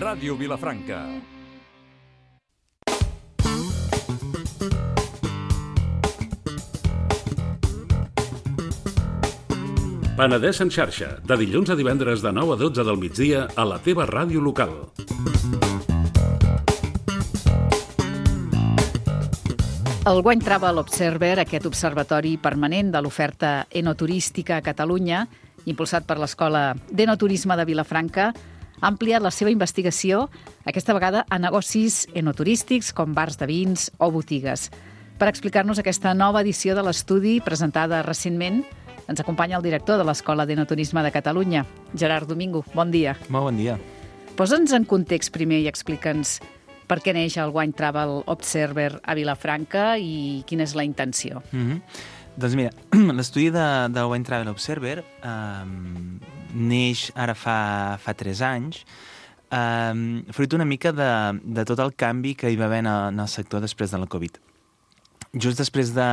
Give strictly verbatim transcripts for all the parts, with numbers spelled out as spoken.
Ràdio Vilafranca. Penedès en xarxa, de dilluns a divendres de nou a dotze del migdia a la teva ràdio local. El Wine Travel Observer, aquest observatori permanent de l'oferta enoturística a Catalunya, impulsat per l'Escola d'Enoturisme de Vilafranca, ha ampliat la seva investigació, aquesta vegada a negocis enoturístics com bars de vins o botigues. Per explicar-nos aquesta nova edició de l'estudi, presentada recentment, ens acompanya el director de l'Escola d'Enoturisme de Catalunya, Gerard Domingo. Bon dia. Molt bon dia. Posa'ns en context primer i explica'ns per què neix el Wine Travel Observer a Vilafranca i quina és la intenció. Mm-hmm. Doncs mira, l'estudi de, del Wine Travel Observer eh, neix ara fa, fa tres anys, eh, fruit una mica de, de tot el canvi que hi va haver en el, en el sector després de la Covid. Just després de,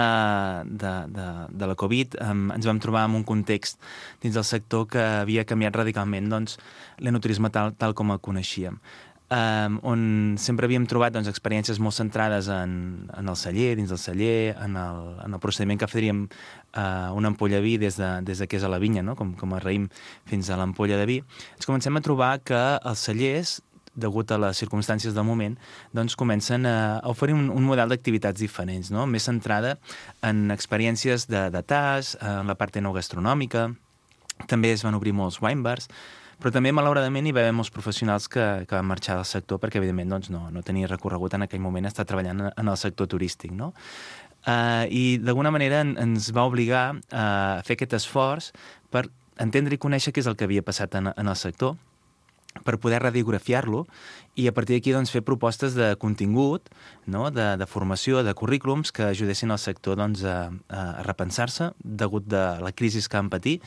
de, de, de la Covid eh, ens vam trobar en un context dins del sector que havia canviat radicalment doncs, l'enoturisme tal, tal com el coneixíem. Um, on sempre havíem trobat doncs, experiències molt centrades en, en el celler, dins del celler, en el, en el procediment que faríem uh, una ampolla de vi des de, des de que és a la vinya, no? com, com a raïm fins a l'ampolla de vi. Ens comencem a trobar que els cellers, degut a les circumstàncies del moment, doncs comencen a oferir un, un model d'activitats diferents, no? Més centrada en experiències de, de tas, en la part enogastronòmica, també es van obrir molts wine bars, però també, malauradament, hi va haver molts professionals que, que van marxar del sector perquè, evidentment, doncs, no, no tenia recorregut en aquell moment estar treballant en el sector turístic, no? Uh, I, d'alguna manera, en, ens va obligar a fer aquest esforç per entendre i conèixer què és el que havia passat en, en el sector, per poder radiografiar-lo i a partir d'aquí doncs, fer propostes de contingut, no? de, de formació, de currículums que ajudessin al sector doncs, a, a repensar-se degut de la crisi que van patir,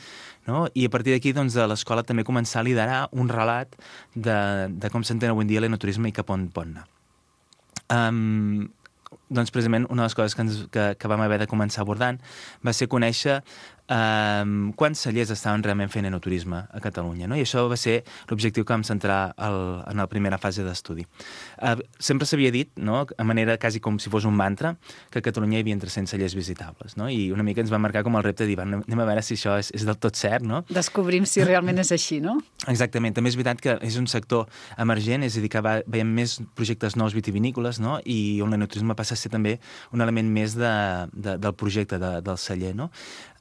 no? I a partir d'aquí doncs, de l'escola també començar a liderar un relat de, de com s'entén avui en dia l'enoturisme i cap on pot anar. Um, doncs precisament una de les coses que, ens, que, que vam haver de començar abordant va ser conèixer Um, quants cellers estaven realment fent enoturisme a Catalunya, no? I això va ser l'objectiu que vam centrar el, en la primera fase d'estudi. Uh, sempre s'havia dit, no? A manera quasi com si fos un mantra, que a Catalunya hi havia tres-cents cellers visitables, no? I una mica ens va marcar com el repte de dir, anem a veure si això és, és del tot cert, no? Descobrim si realment és així, no? Exactament. També és veritat que és un sector emergent, és a dir, que va, veiem més projectes nous vitivinícoles, no? I on l'enoturisme passa a ser també un element més de, de, del projecte de, del celler, no?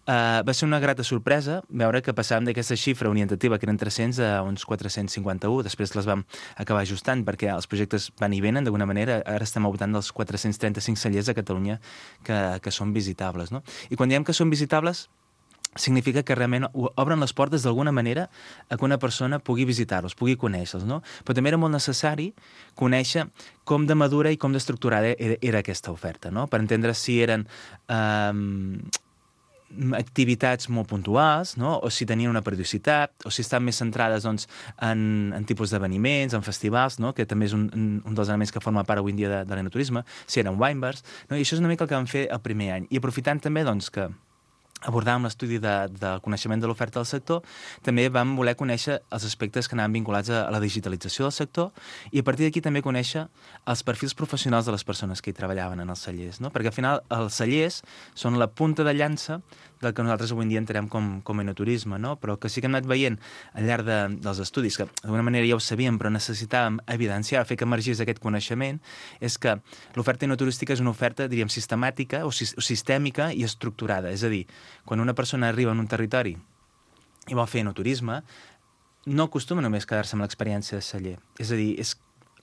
Uh, va ser una grata sorpresa veure que passàvem d'aquesta xifra orientativa, que eren tres-cents, a uns quatre-cents cinquanta-u. Després les vam acabar ajustant perquè els projectes van i venen d'alguna manera. Ara estem al voltant dels quatre-cents trenta-cinc cellers a Catalunya que, que són visitables, no? I quan diem que són visitables, significa que realment obren les portes d'alguna manera a que una persona pugui visitar-los, pugui conèixer-los, no? Però també era molt necessari conèixer com de madura i com d'estructurada era, era aquesta oferta, no? Per entendre si eren Um, activitats molt puntuals, no? O si tenien una periodicitat, o si estan més centrades doncs, en, en tipus d'esdeveniments, en festivals, no? Que també és un, un dels elements que forma part avui en dia de, de l'enoturisme, si eren wine bars, no? I això és una mica el que vam fer el primer any. I aprofitant també doncs, que abordàvem l'estudi de, del coneixement de l'oferta del sector, també vam voler conèixer els aspectes que anaven vinculats a, a la digitalització del sector i a partir d'aquí també conèixer els perfils professionals de les persones que hi treballaven en els cellers, no? Perquè al final els cellers són la punta de llança del que nosaltres avui en dia entenem com, com enoturisme, no? Però que sí que hem anat veient al llarg de, dels estudis, que d'alguna manera ja ho sabíem, però necessitàvem evidenciar, fer que emergís aquest coneixement, és que l'oferta enoturística és una oferta, diríem, sistemàtica o, si, o sistèmica i estructurada. És a dir, quan una persona arriba en un territori i vol fer enoturisme, no acostuma només quedar-se amb l'experiència de celler. És a dir, és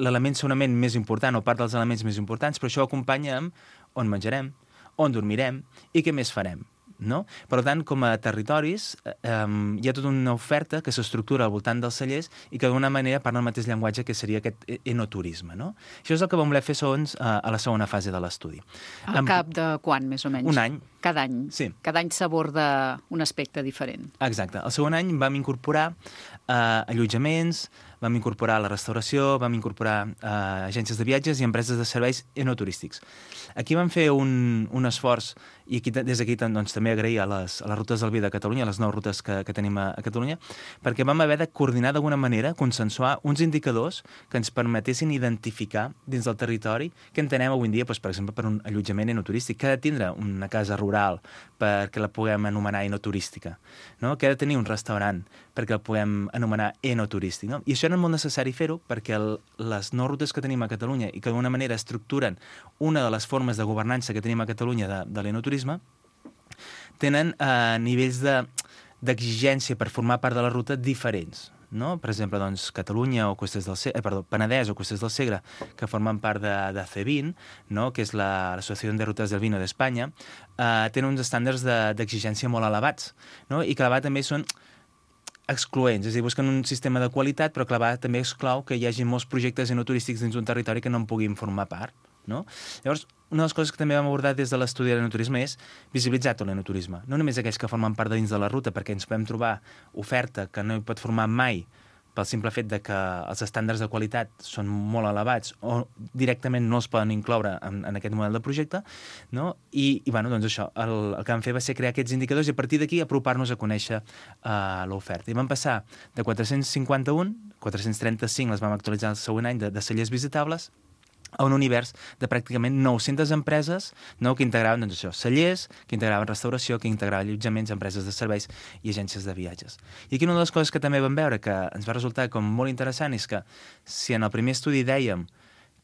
l'element segurament més important o part dels elements més importants, però això ho acompanya amb on menjarem, on dormirem i què més farem. No? Per tant, com a territoris, eh, hi ha tota una oferta que s'estructura al voltant dels cellers i que d'alguna manera parla el mateix llenguatge que seria aquest enoturisme. No? Això és el que vam voler fer segons eh, a la segona fase de l'estudi. Al cap de quan, més o menys? Un any. cada any. Sí. Cada any s'aborda un aspecte diferent. Exacte. El segon any vam incorporar eh, allotjaments, vam incorporar la restauració, vam incorporar eh, agències de viatges i empreses de serveis enoturístics. Aquí vam fer un, un esforç, i aquí, des d'aquí doncs, també agrair a les, a les rutes del vi de Catalunya, a les nou rutes que, que tenim a, a Catalunya, perquè vam haver de coordinar d'alguna manera, consensuar uns indicadors que ens permetessin identificar dins del territori què entenem avui en dia, doncs, per exemple, per un allotjament enoturístic, que ha de tindre una casa rural perquè la puguem anomenar enoturística, no? Que ha de tenir un restaurant perquè el puguem anomenar enoturístic, no? I això era molt necessari fer-ho perquè el, les nou rutes que tenim a Catalunya i que d'alguna manera estructuren una de les formes de governança que tenim a Catalunya de, de l'enoturisme tenen eh, nivells de, d'exigència per formar part de la ruta diferents. No? Per exemple, doncs, Catalunya o Cuestes del Segre, eh, perdó, Penedès o Cuestes del Segre, que formen part de, de C vint, no? Que és l'Associació de Rutes del Vino d'Espanya, eh, tenen uns estàndards de, d'exigència molt elevats, no? I que a la vegada també són excloents, és a dir, busquen un sistema de qualitat, però que a la vegada també exclou que hi hagi molts projectes enoturístics dins un territori que no en puguin formar part. No? Llavors, una de les coses que també vam abordar des de l'estudi de l'enoturisme és visibilitzar tot l'enoturisme. No només aquells que formen part de dins de la ruta, perquè ens podem trobar oferta que no hi pot formar mai pel simple fet de que els estàndards de qualitat són molt elevats o directament no els poden incloure en, en aquest model de projecte, no? I, i bueno, doncs això, el, el que vam fer va ser crear aquests indicadors i a partir d'aquí apropar-nos a conèixer uh, l'oferta. I vam passar de quatre-cents cinquanta-un, quatre-cents trenta-cinc les vam actualitzar el següent any de, de cellers visitables, a un univers de pràcticament nou-centes empreses, no, que integraven doncs, això, cellers, que integraven restauració, que integraven allotjaments, empreses de serveis i agències de viatges. I aquí una de les coses que també vam veure que ens va resultar com molt interessant és que si en el primer estudi dèiem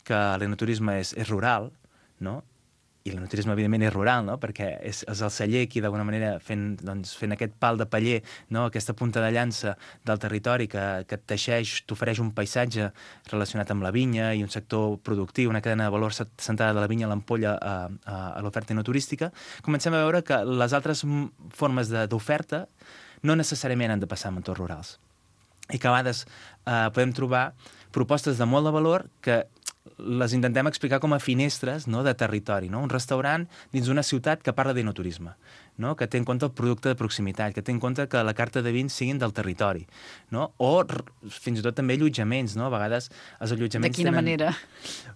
que l'enoturisme és, és rural, no? I l'enoturisme, evidentment, és rural, no? Perquè és, és el celler qui, d'alguna manera, fent, doncs, fent aquest pal de paller, no? Aquesta punta de llança del territori que, que et teixeix, t'ofereix un paisatge relacionat amb la vinya i un sector productiu, una cadena de valor centrada de la vinya a l'ampolla a, a, a l'oferta enoturística, comencem a veure que les altres formes d'oferta no necessàriament han de passar en entorns rurals. I que a vegades eh, podem trobar propostes de molt de valor que les intentem explicar com a finestres, no?, de territori, no? Un restaurant dins d'una ciutat que parla d'enoturisme, no?, que té en compte el producte de proximitat, que té en compte que la carta de vins siguin del territori, no? O fins i tot també allotjaments, no? A vegades els allotjaments De quina tenen... manera?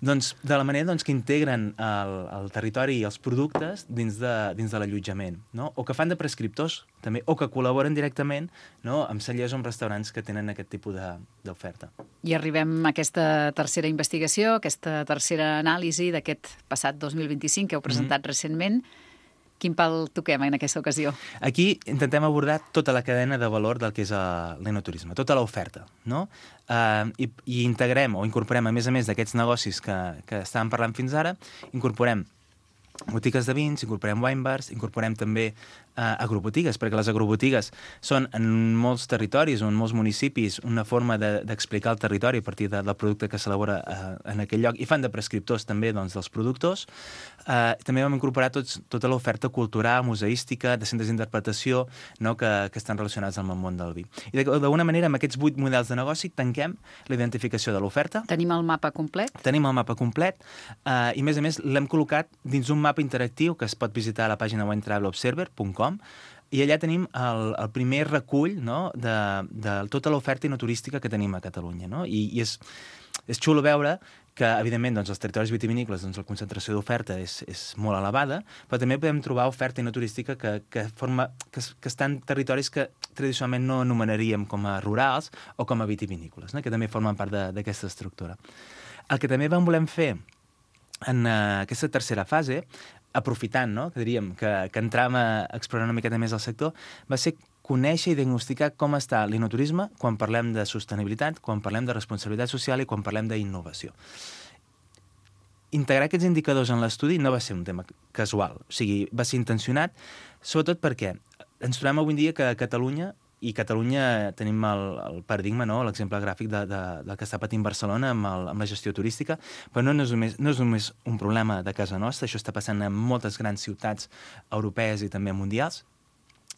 Doncs de la manera doncs, que integren el, el territori i els productes dins de, dins de l'allotjament, no? O que fan de prescriptors, també, o que col·laboren directament, no?, amb cellers o amb restaurants que tenen aquest tipus d'oferta. I arribem a aquesta tercera investigació, aquesta tercera anàlisi d'aquest passat dos mil vint-i-cinc que heu presentat mm-hmm. recentment. Quin pal toquem en aquesta ocasió? Aquí intentem abordar tota la cadena de valor del que és l'enoturisme, tota l'oferta, no? Uh, i, I integrem o incorporem, a més a més d'aquests negocis que, que estàvem parlant fins ara, incorporem botigues de vins, incorporem wine bars, incorporem també uh, agrobotigues, perquè les agrobotigues són en molts territoris o en molts municipis una forma d'explicar de, el territori a partir de, del producte que s'elabora uh, en aquell lloc, i fan de prescriptors també doncs, dels productors. Uh, també vam incorporar tots, tota l'oferta cultural, museística, de centres d'interpretació, no?, que, que estan relacionats amb el món del vi. I d'alguna manera, amb aquests vuit models de negoci, tanquem la identificació de l'oferta. Tenim el mapa complet? Tenim el mapa complet, uh, i a més a més l'hem col·locat dins un mapa interactiu que es pot visitar a la pàgina wine travel observer punt com, i allà tenim el, el primer recull, no?, de, de tota l'oferta enoturística que tenim a Catalunya, no? I, i és, és xulo veure que, evidentment, doncs, els territoris vitivinícoles, doncs, la concentració d'oferta és, és molt elevada, però també podem trobar oferta enoturística que, que, forma, que, que està en territoris que tradicionalment no anomenaríem com a rurals o com a vitivinícoles, no?, que també formen part d'aquesta estructura. El que també vam volem fer en uh, aquesta tercera fase, aprofitant, no?, que diríem que, que entràvem a explorar una miqueta més el sector, va ser conèixer i diagnosticar com està l'enoturisme quan parlem de sostenibilitat, quan parlem de responsabilitat social i quan parlem d'innovació. Integrar aquests indicadors en l'estudi no va ser un tema casual, o sigui, va ser intencionat, sobretot perquè ens trobem avui en dia que a Catalunya, i Catalunya tenim el, el paradigma, no?, l'exemple gràfic de, de, del que està patint Barcelona amb, el, amb la gestió turística, però no, no, és només, no és només un problema de casa nostra, això està passant en moltes grans ciutats europees i també mundials,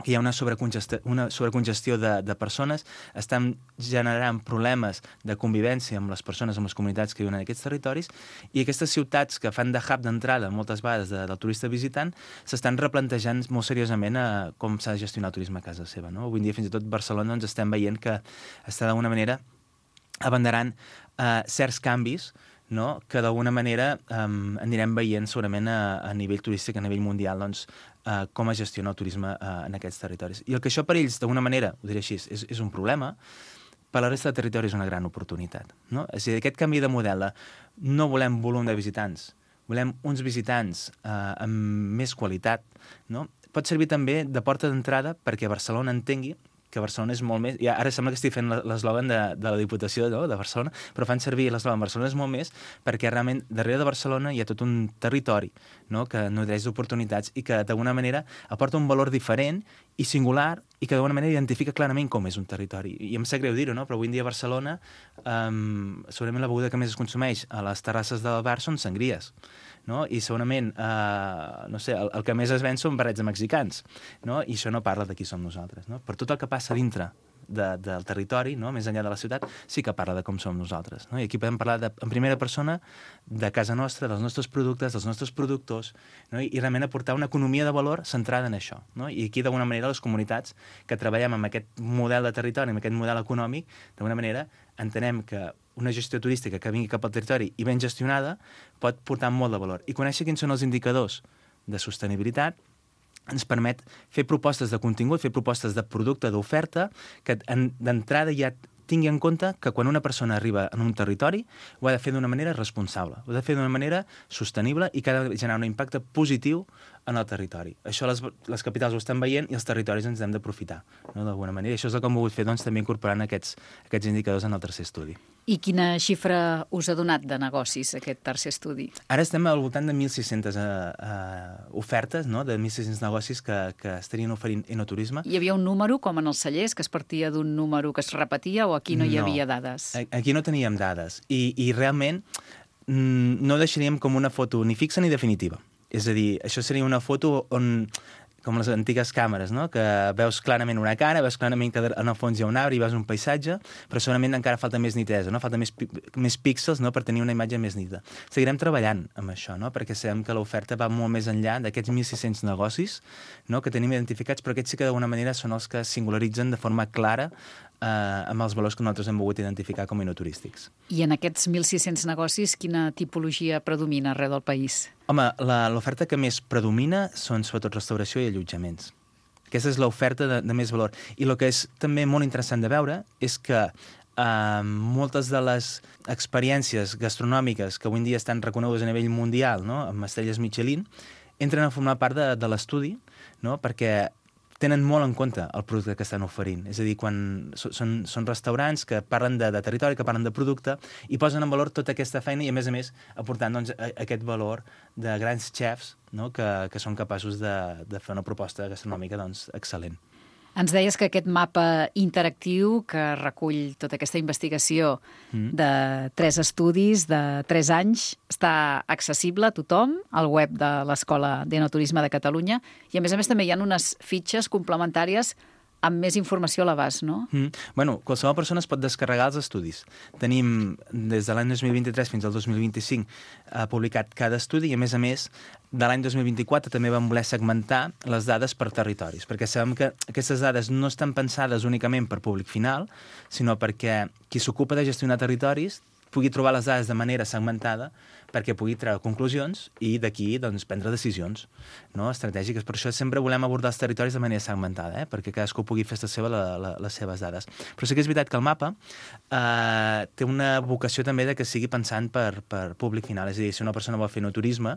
que hi ha una sobrecongestió, una sobrecongestió de, de persones, estan generant problemes de convivència amb les persones, amb les comunitats que viuen en aquests territoris, i aquestes ciutats que fan de hub d'entrada moltes vegades de, del turista visitant s'estan replantejant molt seriosament a com s'ha de gestionar el turisme a casa seva. No? Avui en dia, fins i tot Barcelona, doncs, estem veient que està d'alguna manera abanderant eh, certs canvis, no? Que d'alguna manera um, anirem veient segurament a, a nivell turístic, a nivell mundial, doncs, uh, com es gestiona el turisme uh, en aquests territoris. I el que això per ells, d'alguna manera, ho diré així, és, és un problema, per la resta de territori és una gran oportunitat. No? És a dir, aquest canvi de model, no volem volum de visitants, volem uns visitants uh, amb més qualitat, no? Pot servir també de porta d'entrada perquè Barcelona entengui que Barcelona és molt més... Ja, ara sembla que estic fent l'eslògan de, de la Diputació, no?, de Barcelona, però fan servir l'eslògan Barcelona és molt més perquè realment darrere de Barcelona hi ha tot un territori, no?, que nodreix d'oportunitats i que d'alguna manera aporta un valor diferent i singular i que d'alguna manera identifica clarament com és un territori. I em sap greu dir-ho, no?, però avui en dia a Barcelona um, segurament la beguda que més es consumeix a les terrasses del bar són sangries, no? I segurament, eh, no sé, el, el que més es ven són barrets de mexicans, no? I això no parla de qui som nosaltres, no? Per tot el que passa dintre de, del territori, no? Més enllà de la ciutat, sí que parla de com som nosaltres, no? I aquí podem parlar de, en primera persona de casa nostra, dels nostres productes, dels nostres productors, no? I, i realment aportar una economia de valor centrada en això, no? I aquí, d'alguna manera, les comunitats que treballem amb aquest model de territori, amb aquest model econòmic, d'alguna manera, entenem que una gestió turística que vingui cap al territori i ben gestionada pot portar molt de valor. I conèixer quins són els indicadors de sostenibilitat ens permet fer propostes de contingut, fer propostes de producte, d'oferta, que d'entrada ja tingui en compte que quan una persona arriba en un territori ho ha de fer d'una manera responsable, ho ha de fer d'una manera sostenible i que ha de generar un impacte positiu en el territori. Això les, les capitals ho estan veient i els territoris ens hem d'aprofitar, no?, d'alguna manera. I això és el que hem volgut fer, doncs, també incorporant aquests, aquests indicadors en el tercer estudi. I quina xifra us ha donat de negocis aquest tercer estudi? Ara estem al voltant de mil sis-centes uh, uh, ofertes, no?, de mil sis-cents negocis que, que estarien oferint enoturisme. Hi havia un número, com en els cellers, que es partia d'un número que es repetia, o aquí no hi havia no, dades? Aquí no teníem dades. I, i realment mm, no deixaríem com una foto ni fixa ni definitiva. És a dir, això seria una foto on, com les antigues càmeres, no?, que veus clarament una cara, veus clarament que en el fons hi ha un arbre i veus un paisatge, però segurament encara falta més nitesa, no?, falta més, més píxels, no?, per tenir una imatge més nítida. Seguirem treballant amb això, no?, perquè sabem que l'oferta va molt més enllà d'aquests mil sis-cents negocis, no?, que tenim identificats, però aquests sí que d'alguna manera són els que singularitzen de forma clara eh, amb els valors que nosaltres hem volgut identificar com a enoturístics. I en aquests mil sis-cents negocis, quina tipologia predomina arreu del país? Home, l'oferta que més predomina són sobretot restauració i allotjaments. Aquesta és l'oferta de, de més valor. I el que és també molt interessant de veure és que eh, moltes de les experiències gastronòmiques que avui en dia estan reconegudes a nivell mundial, no?, amb estrelles Michelin, entren a formar part de, de l'estudi, no?, perquè tenen molt en compte el producte que estan oferint. És a dir, quan són, són restaurants que parlen de, de territori, que parlen de producte, i posen en valor tota aquesta feina i, a més a més, aportant, doncs, aquest valor de grans chefs, no?, que, que són capaços de, de fer una proposta gastronòmica, doncs, excel·lent. Ens deies que aquest mapa interactiu que recull tota aquesta investigació mm. de tres estudis de tres anys està accessible a tothom al web de l'Escola d'Enoturisme de Catalunya i, a més a més, també hi ha unes fitxes complementàries amb més informació a l'abast, no? Mm. Bueno, qualsevol persona es pot descarregar els estudis. Tenim, des de l'any dos mil vint-i-tres fins al dos mil vint-i-cinc, eh, publicat cada estudi i, a més a més, de l'any dos mil vint-i-quatre també vam voler segmentar les dades per territoris, perquè sabem que aquestes dades no estan pensades únicament per públic final, sinó perquè qui s'ocupa de gestionar territoris pugui trobar les dades de manera segmentada perquè pugui treure conclusions i d'aquí, doncs, prendre decisions, no?, estratègiques. Per això sempre volem abordar els territoris de manera segmentada, eh? Perquè cadascú pugui fer esta seva la, la, les seves dades. Però sí que és veritat que el mapa eh, té una vocació també de que sigui pensant per, per públic final. És a dir, si una persona vol fer enoturisme,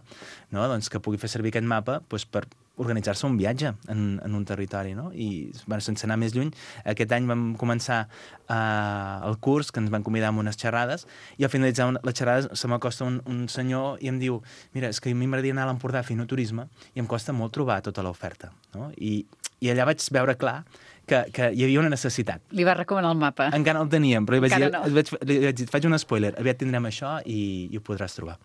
no?, doncs que pugui fer servir aquest mapa doncs, per organitzar-se un viatge en, en un territori, no? I, bueno, sense anar més lluny, aquest any vam començar eh, el curs, que ens van convidar a unes xerrades, i al finalitzar les xerrades se m'acosta un, un senyor i em diu, mira, és que a mi m'agradaria anar a l'Empordà a fer enoturisme i em costa molt trobar tota l'oferta, no? I, i allà vaig veure clar que, que hi havia una necessitat. Li va recomanar el mapa. Encara no el teníem, però li vaig, dir, no. vaig, li vaig dir, faig un spoiler, aviat tindrem això i, i ho podràs trobar.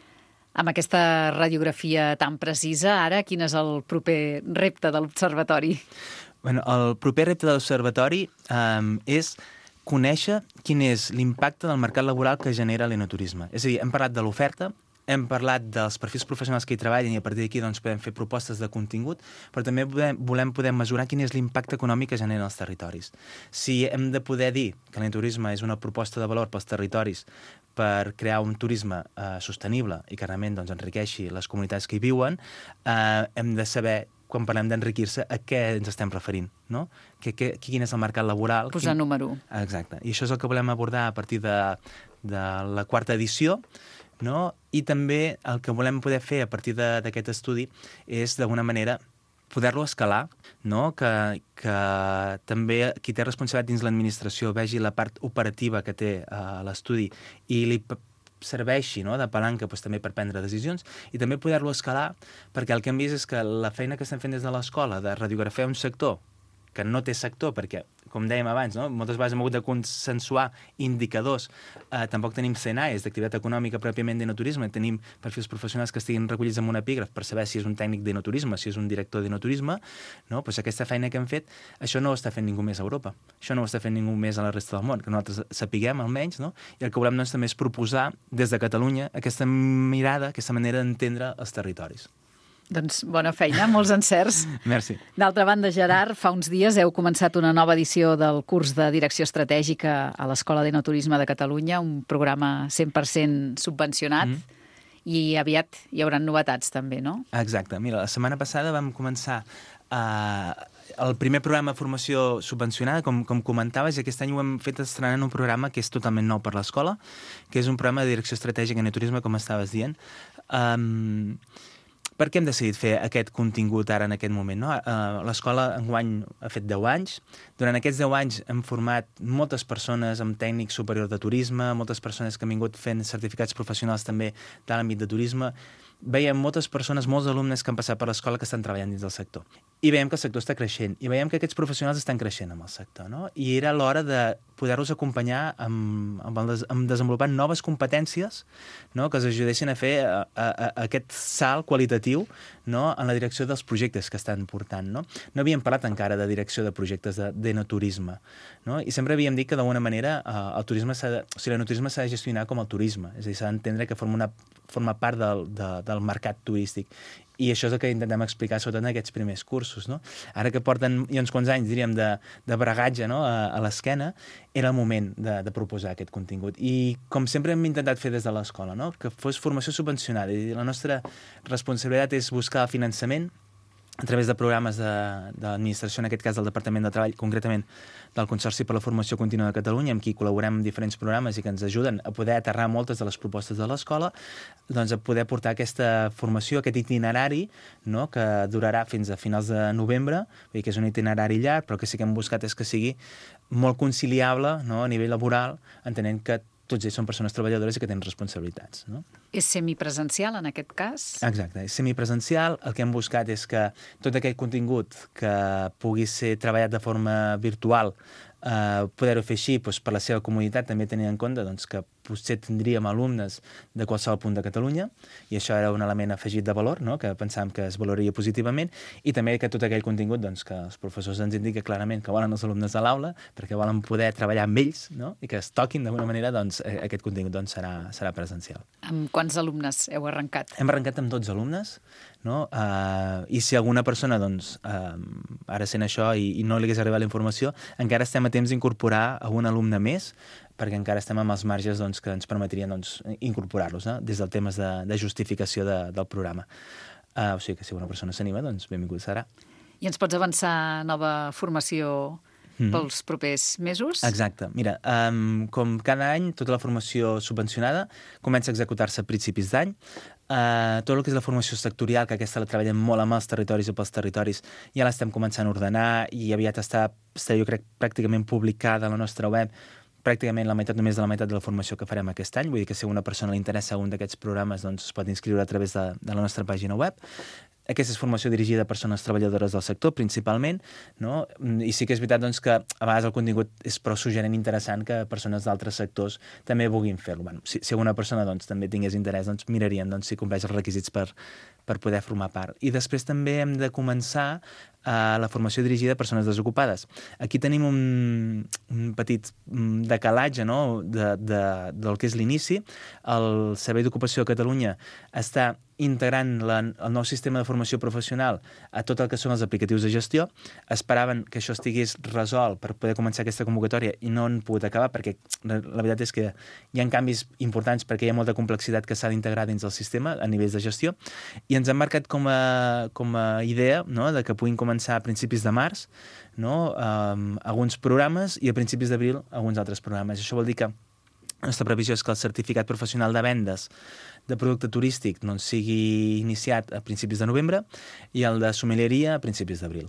Amb aquesta radiografia tan precisa, ara, quin és el proper repte de l'Observatori? Bueno, el proper repte de l'Observatori um, és conèixer quin és l'impacte del mercat laboral que genera l'enoturisme. És a dir, hem parlat de l'oferta, hem parlat dels perfils professionals que hi treballen i a partir d'aquí doncs, podem fer propostes de contingut, però també volem, volem poder mesurar quin és l'impacte econòmic que generen els territoris. Si hem de poder dir que l'enoturisme és una proposta de valor pels territoris per crear un turisme eh, sostenible i que realment doncs, enriqueixi les comunitats que hi viuen, eh, hem de saber, quan parlem d'enriquir-se, a què ens estem referint, no? Que, que, quin és el mercat laboral. Posar quin... número. Exacte. I això és el que volem abordar a partir de, de la quarta edició, no? I també el que volem poder fer a partir d'aquest estudi és, d'alguna manera, poder-lo escalar, no? que, que també qui té responsabilitat dins l'administració vegi la part operativa que té uh, l'estudi i li serveixi, no? de palanca doncs, també per prendre decisions i també poder-lo escalar perquè el que hem vist és que la feina que estem fent des de l'escola de radiografiar un sector que no té sector, perquè, com dèiem abans, no? moltes vegades hem hagut de consensuar indicadors. Eh, tampoc tenim C N A Es d'activitat econòmica pròpiament d'enoturisme, tenim perfils professionals que estiguin recollits en un epígraf per saber si és un tècnic d'enoturisme, si és un director d'enoturisme, no? pues aquesta feina que hem fet, això no ho està fent ningú més a Europa, això no ho està fent ningú més a la resta del món, que nosaltres sapiguem almenys, no? I el que volem doncs, també és proposar des de Catalunya aquesta mirada, aquesta manera d'entendre els territoris. Doncs bona feina, molts encerts. Merci. D'altra banda, Gerard, fa uns dies heu començat una nova edició del curs de Direcció Estratègica a l'Escola d'Enoturisme de Catalunya, un programa cent per cent subvencionat, mm. i aviat hi haurà novetats també, no? Exacte. Mira, la setmana passada vam començar uh, el primer programa de formació subvencionada, com, com comentaves, i aquest any ho hem fet estrenant un programa que és totalment nou per l'escola, que és un programa de Direcció Estratègica en Enoturisme, com estaves dient. Um, Per què hem decidit fer aquest contingut ara en aquest moment? No? Uh, L'escola enguany ha fet deu anys. Durant aquests deu anys hem format moltes persones amb tècnic superior de turisme, moltes persones que han vingut fent certificats professionals també de l'àmbit de turisme. Veiem moltes persones, molts alumnes que han passat per l'escola que estan treballant dins del sector. I veiem que el sector està creixent. I veiem que aquests professionals estan creixent amb el sector. No? I era l'hora de poder-los acompanyar amb, amb, el, amb desenvolupar noves competències, no? que els ajudessin a fer a, a, a aquest salt qualitatiu, no? en la direcció dels projectes que estan portant. No, no havíem parlat encara de direcció de projectes d'enoturisme. No? I sempre havíem dit que d'alguna manera eh, el turisme de, o sigui, l'enoturisme s'ha de gestionar com el turisme. És a dir, s'ha d'entendre que forma, una, forma part del, de, del mercat turístic. I això és el que intentem explicar sobretot en aquests primers cursos. No? Ara que porten ja uns quants anys, diríem, de, de bragatge, no? a, a l'esquena, era el moment de, de proposar aquest contingut. I com sempre hem intentat fer des de l'escola, no? que fos formació subvencionada. I la nostra responsabilitat és buscar el finançament a través de programes de, de l'administració, en aquest cas del Departament de Treball, concretament del Consorci per la Formació Contínua de Catalunya, amb qui col·laborem en diferents programes i que ens ajuden a poder aterrar moltes de les propostes de l'escola, doncs a poder portar aquesta formació, aquest itinerari, no?, que durarà fins a finals de novembre, vull dir que és un itinerari llarg, però que sí que hem buscat és que sigui molt conciliable, no?, a nivell laboral, entenent que tots ells són persones treballadores i que tenen responsabilitats. No? És semipresencial, en aquest cas? Exacte, és semipresencial. El que hem buscat és que tot aquell contingut que pugui ser treballat de forma virtual, eh, poder-ho fer així doncs, per la seva comoditat, també tenint en compte doncs, que potser tindríem alumnes de qualsevol punt de Catalunya, i això era un element afegit de valor, no? que pensàvem que es valoraria positivament, i també que tot aquell contingut doncs, que els professors ens indiquen clarament que volen els alumnes a l'aula, perquè volen poder treballar amb ells, no? i que es toquin d'alguna manera, doncs, aquest contingut doncs, serà, serà presencial. Amb quants alumnes heu arrencat? Hem arrencat amb dotze alumnes, no? Uh, i si alguna persona doncs, uh, ara sent això i, i no li hagués arribat la informació, encara estem a temps d'incorporar algun alumne més, perquè encara estem amb els marges doncs, que ens permetrien doncs, incorporar-los, no? des del temes de, de justificació de, del programa. Uh, o sigui que si una persona s'anima, doncs benvingut serà. I ens pots avançar nova formació mm-hmm. pels propers mesos? Exacte. Mira, um, com cada any, tota la formació subvencionada comença a executar-se a principis d'any. Uh, tot el que és la formació sectorial, que aquesta la treballem molt amb els territoris i pels territoris, ja l'estem començant a ordenar i aviat està, està jo crec, pràcticament publicada a la nostra web, pràcticament la meitat, només de la meitat de la formació que farem aquest any. Vull dir que si a una persona li interessa un d'aquests programes, doncs es pot inscriure a través de, de la nostra pàgina web. aquesta és formació dirigida a persones treballadores del sector, principalment, no? I sí que és veritat doncs, que a vegades el contingut és prou suggerent i interessant que persones d'altres sectors també vulguin fer-lo. Bueno, si, si alguna persona doncs, també tingués interès, doncs, miraríem doncs, si compleix els requisits per, per poder formar part. I després també hem de començar a la formació dirigida a persones desocupades. Aquí tenim un, un petit decalatge, no?, de, de, del que és l'inici. El Servei d'Ocupació de Catalunya està integrant la, el nou sistema de formació professional a tot el que són els aplicatius de gestió. Esperaven que això estigués resolt per poder començar aquesta convocatòria i no han pogut acabar perquè la, la veritat és que hi ha canvis importants perquè hi ha molta complexitat que s'ha d'integrar dins del sistema a nivells de gestió i ens han marcat com a, com a idea, no?, de que puguin començar a principis de març, no?, um, alguns programes i a principis d'abril alguns altres programes. Això vol dir que la nostra previsió és que el certificat professional de vendes de producte turístic doncs, sigui iniciat a principis de novembre i el de sommelieria a principis d'abril.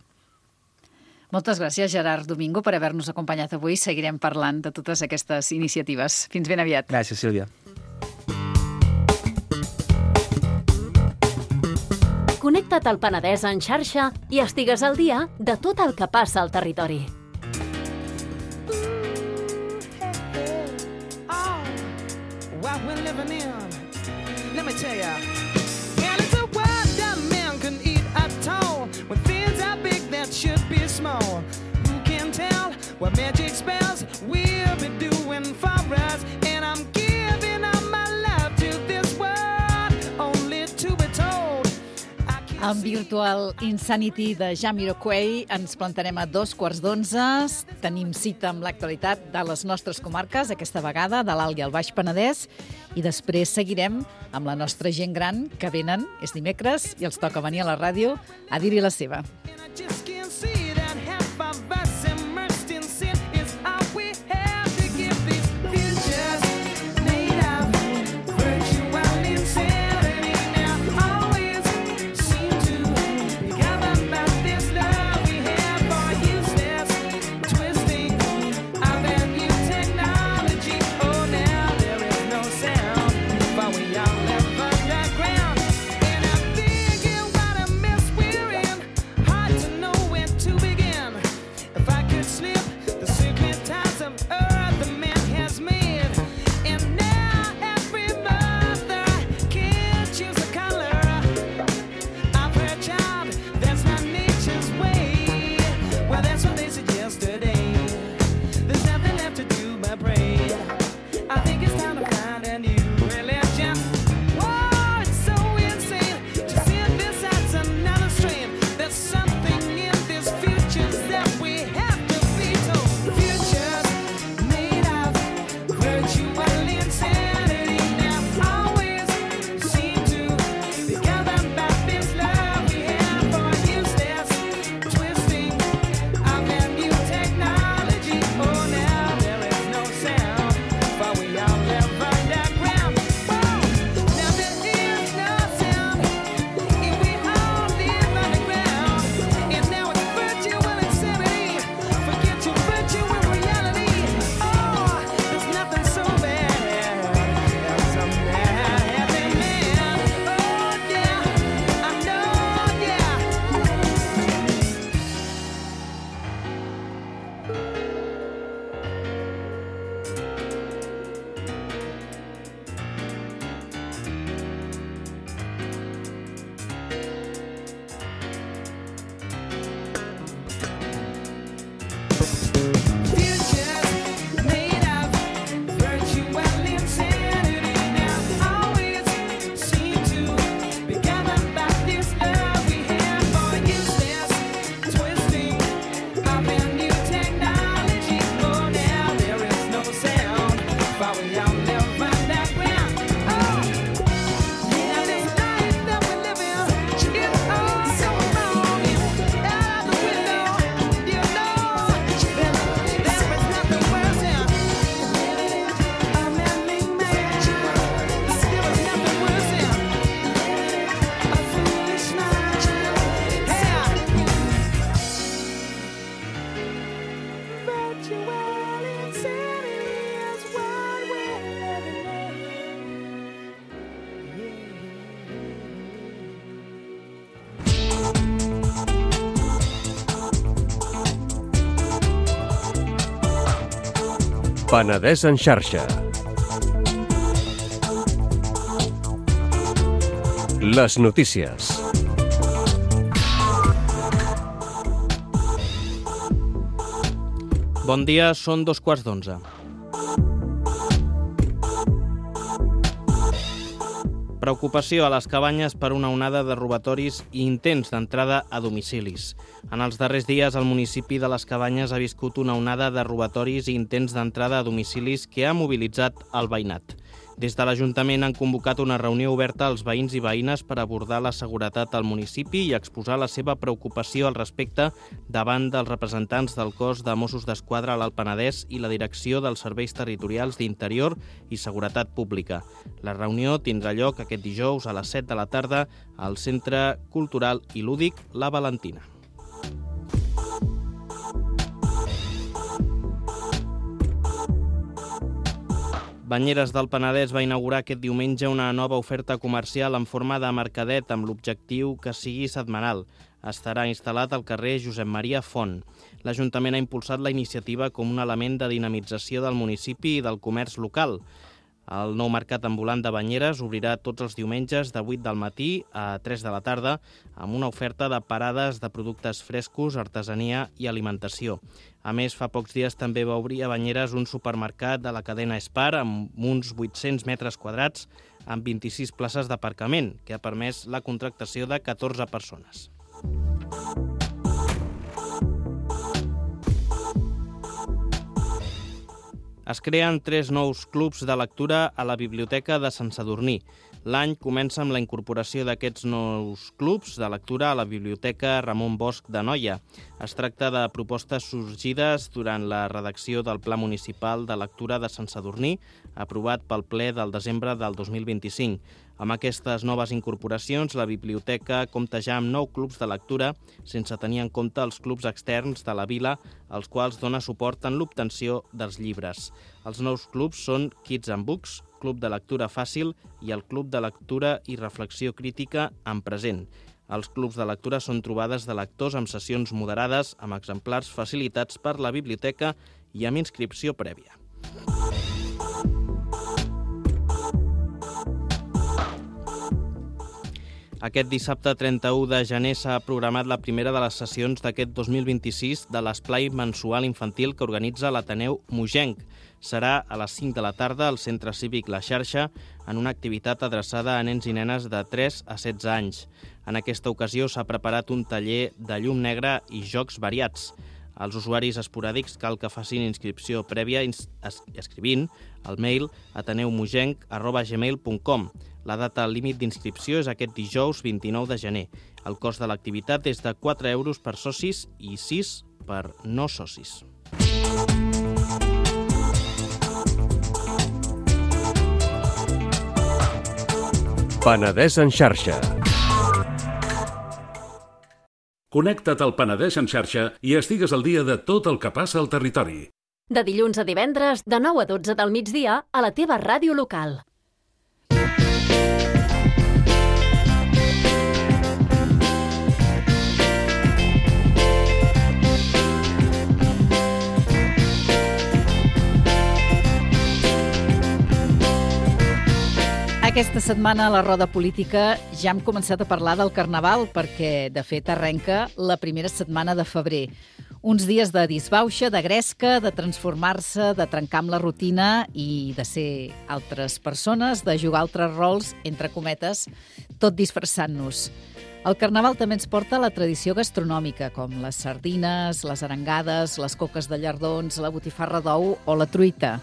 Moltes gràcies, Gerard Domingo, per haver-nos acompanyat avui. Seguirem parlant de totes aquestes iniciatives. Fins ben aviat. Gràcies, Sílvia. Connecta't al Penedès en xarxa i estigues al dia de tot el que passa al territori. Let me tell ya, and it's a word that man can eat at all. When things are big that should be small. Who can tell what magic spells we'll be doing for us? And I'm giving up my love to this world, only to be told. Amb Virtual Insanity de Jamiroquai ens plantarem a dos quarts d'onze. Tenim cita amb l'actualitat de les nostres comarques, aquesta vegada de l'Alt i el Baix Penedès, i després seguirem amb la nostra gent gran, que venen, és dimecres, i els toca venir a la ràdio a dir-hi la seva. Hard to Penedès en xarxa. Les notícies. Bon dia, són dos quarts d'onze. Preocupació a les cabanyes per una onada de robatoris i intents d'entrada a domicilis. En els darrers dies, el municipi de les Cabanyes ha viscut una onada de robatoris i intents d'entrada a domicilis que ha mobilitzat el veïnat. Des de l'Ajuntament han convocat una reunió oberta als veïns i veïnes per abordar la seguretat al municipi i exposar la seva preocupació al respecte davant dels representants del cos de Mossos d'Esquadra a l'Alt Penedès i la direcció dels Serveis Territorials d'Interior i Seguretat Pública. La reunió tindrà lloc aquest dijous a les set de la tarda al Centre Cultural i Lúdic La Valentina. Banyeres del Penedès va inaugurar aquest diumenge una nova oferta comercial en forma de mercadet amb l'objectiu que sigui setmanal. Estarà instal·lat al carrer Josep Maria Font. L'Ajuntament ha impulsat la iniciativa com un element de dinamització del municipi i del comerç local. El nou mercat ambulant de Banyeres obrirà tots els diumenges de vuit del matí a tres de la tarda amb una oferta de parades de productes frescos, artesania i alimentació. A més, fa pocs dies també va obrir a Banyeres un supermercat de la cadena Spar amb uns vuit-cents metres quadrats amb vint-i-sis places d'aparcament, que ha permès la contractació de catorze persones. Es creen tres nous clubs de lectura a la Biblioteca de Sant Sadurní. L'any comença amb la incorporació d'aquests nous clubs de lectura a la Biblioteca Ramon Bosch de Noia. Es tracta de propostes sorgides durant la redacció del Pla Municipal de Lectura de Sant Sadurní, aprovat pel ple del desembre del dos mil vint-i-cinc. Amb aquestes noves incorporacions, la biblioteca compta ja amb nou clubs de lectura, sense tenir en compte els clubs externs de la vila, als quals dona suport en l'obtenció dels llibres. Els nous clubs són Kids and Books, Club de Lectura Fàcil i el Club de Lectura i Reflexió Crítica en Present. Els clubs de lectura són trobades de lectors amb sessions moderades, amb exemplars facilitats per la biblioteca i amb inscripció prèvia. Aquest dissabte trenta-u de gener s'ha programat la primera de les sessions d'aquest dos mil vint-i-sis de l'esplai mensual infantil que organitza l'Ateneu Mogenc. Serà a les cinc de la tarda al Centre Cívic La Xarxa en una activitat adreçada a nens i nenes de tres a setze anys. En aquesta ocasió s'ha preparat un taller de llum negra i jocs variats. Als usuaris esporàdics cal que facin inscripció prèvia escrivint al mail ateneumogenc arroba gmail punt com. La data límit d'inscripció és aquest dijous vint-i-nou de gener. El cost de l'activitat és de quatre euros per socis i sis per no socis. Penedès en xarxa. Connecta't al Penedès en xarxa i estigues al dia de tot el que passa al territori. De dilluns a divendres, de nou a dotze del migdia, a la teva ràdio local. Aquesta setmana a la roda política ja hem començat a parlar del Carnaval perquè, de fet, arrenca la primera setmana de febrer. Uns dies de disbauxa, de gresca, de transformar-se, de trencar amb la rutina i de ser altres persones, de jugar altres rols, entre cometes, tot disfressant-nos. El Carnaval també ens porta la tradició gastronòmica, com les sardines, les arengades, les coques de llardons, la botifarra d'ou o la truita.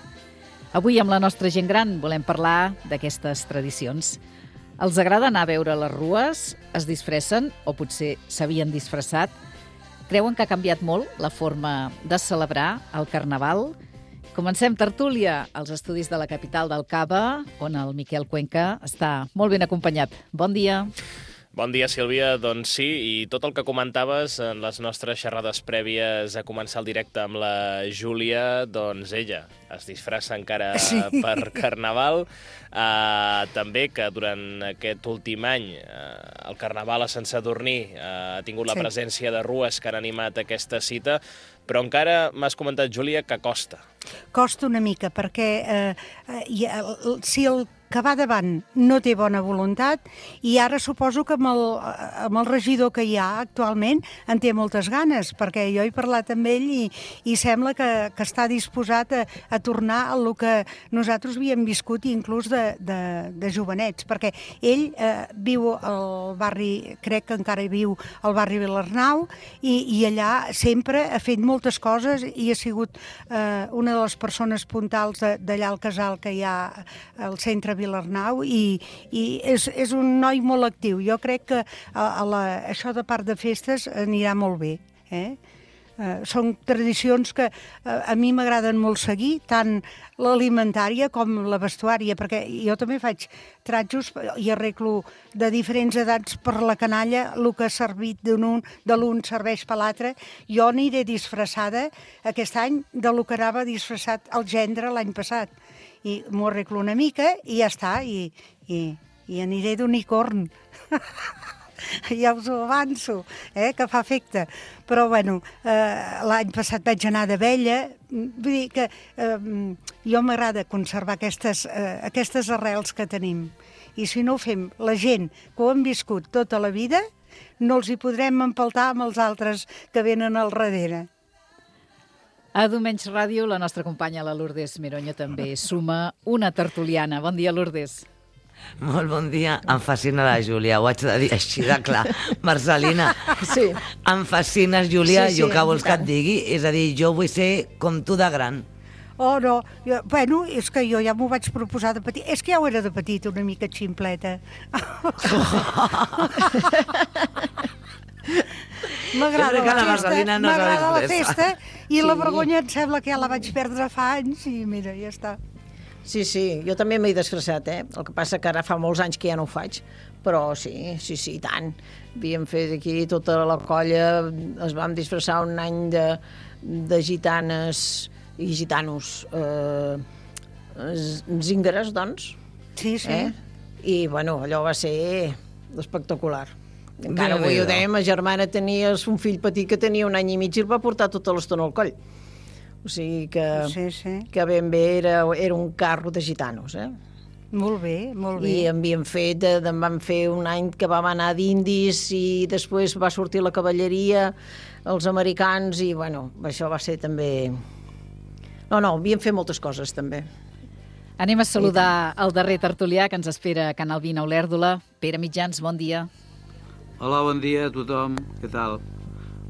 Avui, amb la nostra gent gran, volem parlar d'aquestes tradicions. Els agrada anar a veure les rues? Es disfressen? O potser s'havien disfressat? Creuen que ha canviat molt la forma de celebrar el Carnaval? Comencem tertúlia als estudis de la capital del Cava, on el Miquel Cuenca està molt ben acompanyat. Bon dia. Bon dia, Sílvia. Doncs sí, i tot el que comentaves en les nostres xerrades prèvies a començar el directe amb la Júlia, doncs ella es disfressa encara sí. per Carnaval. Uh, també que durant aquest últim any uh, el Carnaval a Sant Sadurní uh, ha tingut la sí. presència de rues que han animat aquesta cita, però encara m'has comentat, Júlia, que costa. Costa una mica, perquè eh, eh, si el que va davant no té bona voluntat, i ara suposo que amb el, amb el regidor que hi ha actualment en té moltes ganes, perquè jo he parlat amb ell i, i sembla que, que està disposat a, a tornar a el que nosaltres havíem viscut inclús de, de, de jovenets, perquè ell eh, viu al barri, crec que encara viu al barri Vilarnau, i, i allà sempre ha fet moltes coses i ha sigut eh, una de les persones puntals d'allà al casal que hi ha al centre Vilarnau, i, i és, és un noi molt actiu. Jo crec que a, a la, això de part de festes anirà molt bé. Eh? Uh, són tradicions que uh, a mi m'agraden molt seguir, tant l'alimentària com la vestuària, perquè jo també faig tratjos i arreglo de diferents edats per la canalla, el que ha servit de l'un serveix per l'altre. Jo aniré disfressada aquest any de lo que anava disfressat el gendre l'any passat. I m'ho arreglo una mica i ja està, i, i, i aniré d'unicorn. Ja us ho avanço, eh, que fa efecte. Però, bueno, eh, l'any passat vaig anar d'abella. Vull dir que eh, jo m'agrada conservar aquestes, eh, aquestes arrels que tenim. I si no ho fem, la gent que ho han viscut tota la vida, no els hi podrem empaltar amb els altres que venen al darrere. A Domenys Ràdio, la nostra companya, la Lourdes Mironyo, també suma una tertuliana. Bon dia, Lourdes. Molt bon dia. Em fascina la Júlia, ho haig de dir així de clar. Marcelina, sí. Em fascines, Júlia, sí, sí, jo què vols que et digui? És a dir, jo vull ser com tu de gran. Oh, no. Jo, bueno, és que jo ja m'ho vaig proposar de petit. És que ja ho era de petit, una mica ximpleta. M'agrada la, la festa, no m'agrada la festa i sí. La vergonya em sembla que ja la vaig perdre fa anys i mira, ja està. Sí, sí, jo també m'he disfressat, eh? El que passa que ara fa molts anys que ja no ho faig, però sí, sí, sí, tant. Havíem fet aquí tota la colla, es vam disfressar un any de, de gitanes i gitanos eh, zíngares, doncs. Sí, sí. Eh? I, bueno, allò va ser espectacular. Encara avui ho dèiem, ma germana tenia un fill petit que tenia un any i mig i el va portar tota l'estona al coll. O sigui que, sí, sí. que ben bé era, era un carro de gitanos, eh? Molt bé, molt bé. I en havíem fet, en vam fer un any que vam anar d'indis i després va sortir la cavalleria, els americans, i bueno, això va ser també... No, no, havíem fet moltes coses també. Anem a saludar el darrer tertulià que ens espera a Canal vint a Olèrdola. Pere Mitjans, bon dia. Hola, bon dia a tothom, què tal?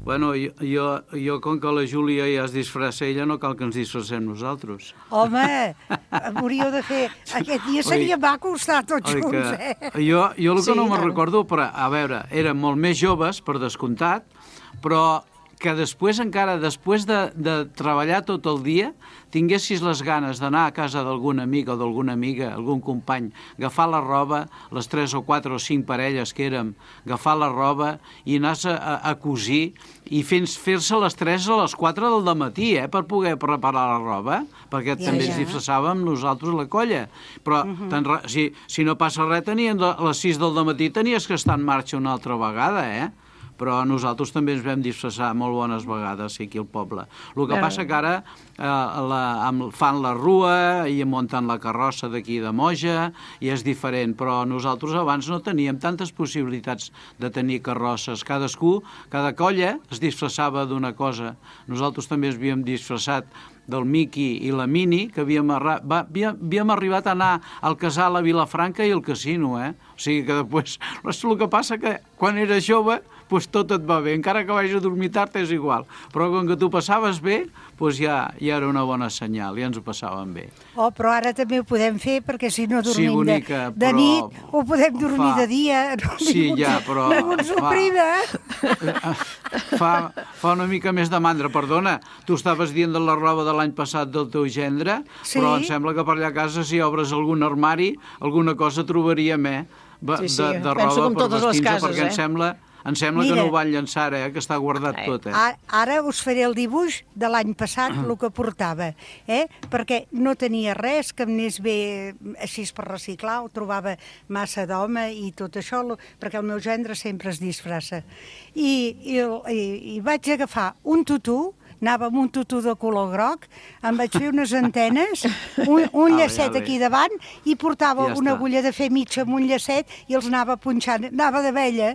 Bueno, jo, jo, jo com que la Júlia ja es disfressa ella, no cal que ens disfressem nosaltres. Home, hauríeu de fer... Aquest dia seria maco estar tots oi, junts, que, eh? Jo, jo el que sí, no me'n tant. recordo, però, a veure, érem molt més joves, per descomptat, però que després encara, després de, de treballar tot el dia, tinguessis les ganes d'anar a casa d'algun amic o d'alguna amiga, algun company, agafar la roba, les tres o quatre o cinc parelles que érem, agafar la roba i anar a, a cosir i fer-se les tres a les quatre del dematí, eh, per poder preparar la roba, perquè ja, també ja. ens disfressàvem nosaltres la colla. Però uh-huh. tan, si, si no passa res, tenien, a les sis del dematí tenies que estar en marxa una altra vegada, eh? Però nosaltres també ens vam disfressar molt bones vegades aquí al poble. El que passa que ara eh, la, amb, fan la rua i munten la carrossa d'aquí de Moja i és diferent, però nosaltres abans no teníem tantes possibilitats de tenir carrosses. Cadascú, cada colla es disfressava d'una cosa. Nosaltres també ens havíem disfressat del Miqui i la Mini, que havíem, arra... Va, havíem, havíem arribat a anar al casal a Vilafranca i al casino, eh? O sigui que després... El que passa que quan eres jove, doncs tot et va bé. Encara que vagis a dormir tard és igual. Però com que tu passaves bé, doncs ja, ja era una bona senyal, ja ens ho passàvem bé. Oh, però ara també ho podem fer, perquè si no dormim sí, bonica, de, de però... nit, ho podem dormir fa... de dia. No, sí, ja, però... No ens oprida, eh? Fa, fa una mica més de mandra. Perdona, tu estaves dient de la roba de l'any passat del teu gendre, sí? Però em sembla que per allà a casa, si obres algun armari, alguna cosa trobaríem, eh? Sí, sí. De, de Penso roba com totes les cases, perquè eh? em sembla... Em sembla Mira, que no ho van llançar, eh? Que està guardat tot, eh? Ara us faré el dibuix de l'any passat, el que portava, eh? Perquè no tenia res que em anés bé així per reciclar, ho trobava massa d'home i tot això, perquè el meu gendre sempre es disfressa. I, i, i, i vaig agafar un tutú anava amb un tutú de color groc, em vaig fer unes antenes, un, un Ah, llacet ja ve. aquí davant, i portava Ja una està. agulla de fer mitja amb un llacet i els anava punxant, anava d'abella.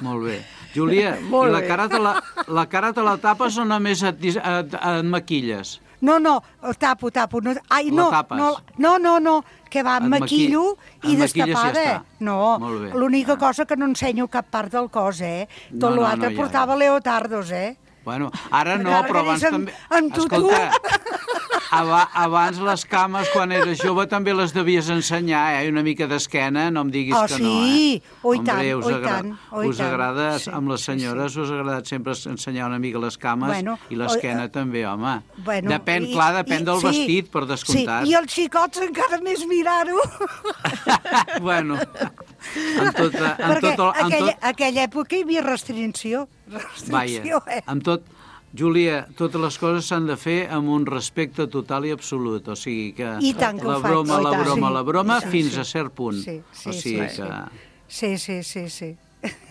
Molt bé. Júlia, Molt i la bé. cara, te la, la cara te la tapes o només et, dis- et, et maquilles? No, no, el tapo, tapo. No, ai, La no, tapes. no, no, no, no, que va, Et em maquillo maqui- i et maquilles i ja destapada. està. No, Molt bé. l'única cosa que no ensenyo cap part del cos, eh? No, Tot no, l'altre no, ja, portava leotardos, eh? Bueno, ara no, Ara però que abans eres també... amb- amb tutú. Escolta, aba, abans les cames, quan eres jove, també les devies ensenyar, eh? Una mica d'esquena, no em diguis Oh, que sí? no, eh? Oh, i Hombre, tant, us oh, i agra- tant, oh, i us tant. agrada, Sí, amb les sí, senyores, us ha agradat sempre ensenyar una mica les cames Bueno, i l'esquena oh, també, home. Bueno, depèn, i- clar, depèn i- del sí, vestit, per descomptat. Sí, i els xicots encara més mirar-ho. Bueno, en tota, en Perquè tot, el- en aquella, tot, aquella època hi havia restricció. Vaja, Restricció, eh? amb tot, Júlia, totes les coses s'han de fer amb un respecte total i absolut, o sigui que I tant que la ho faig. broma, Oh, i la tant. broma, Sí, la broma, i tant, fins sí. a cert punt. Sí, sí, o sigui sí, que... Sí, sí, sí, sí.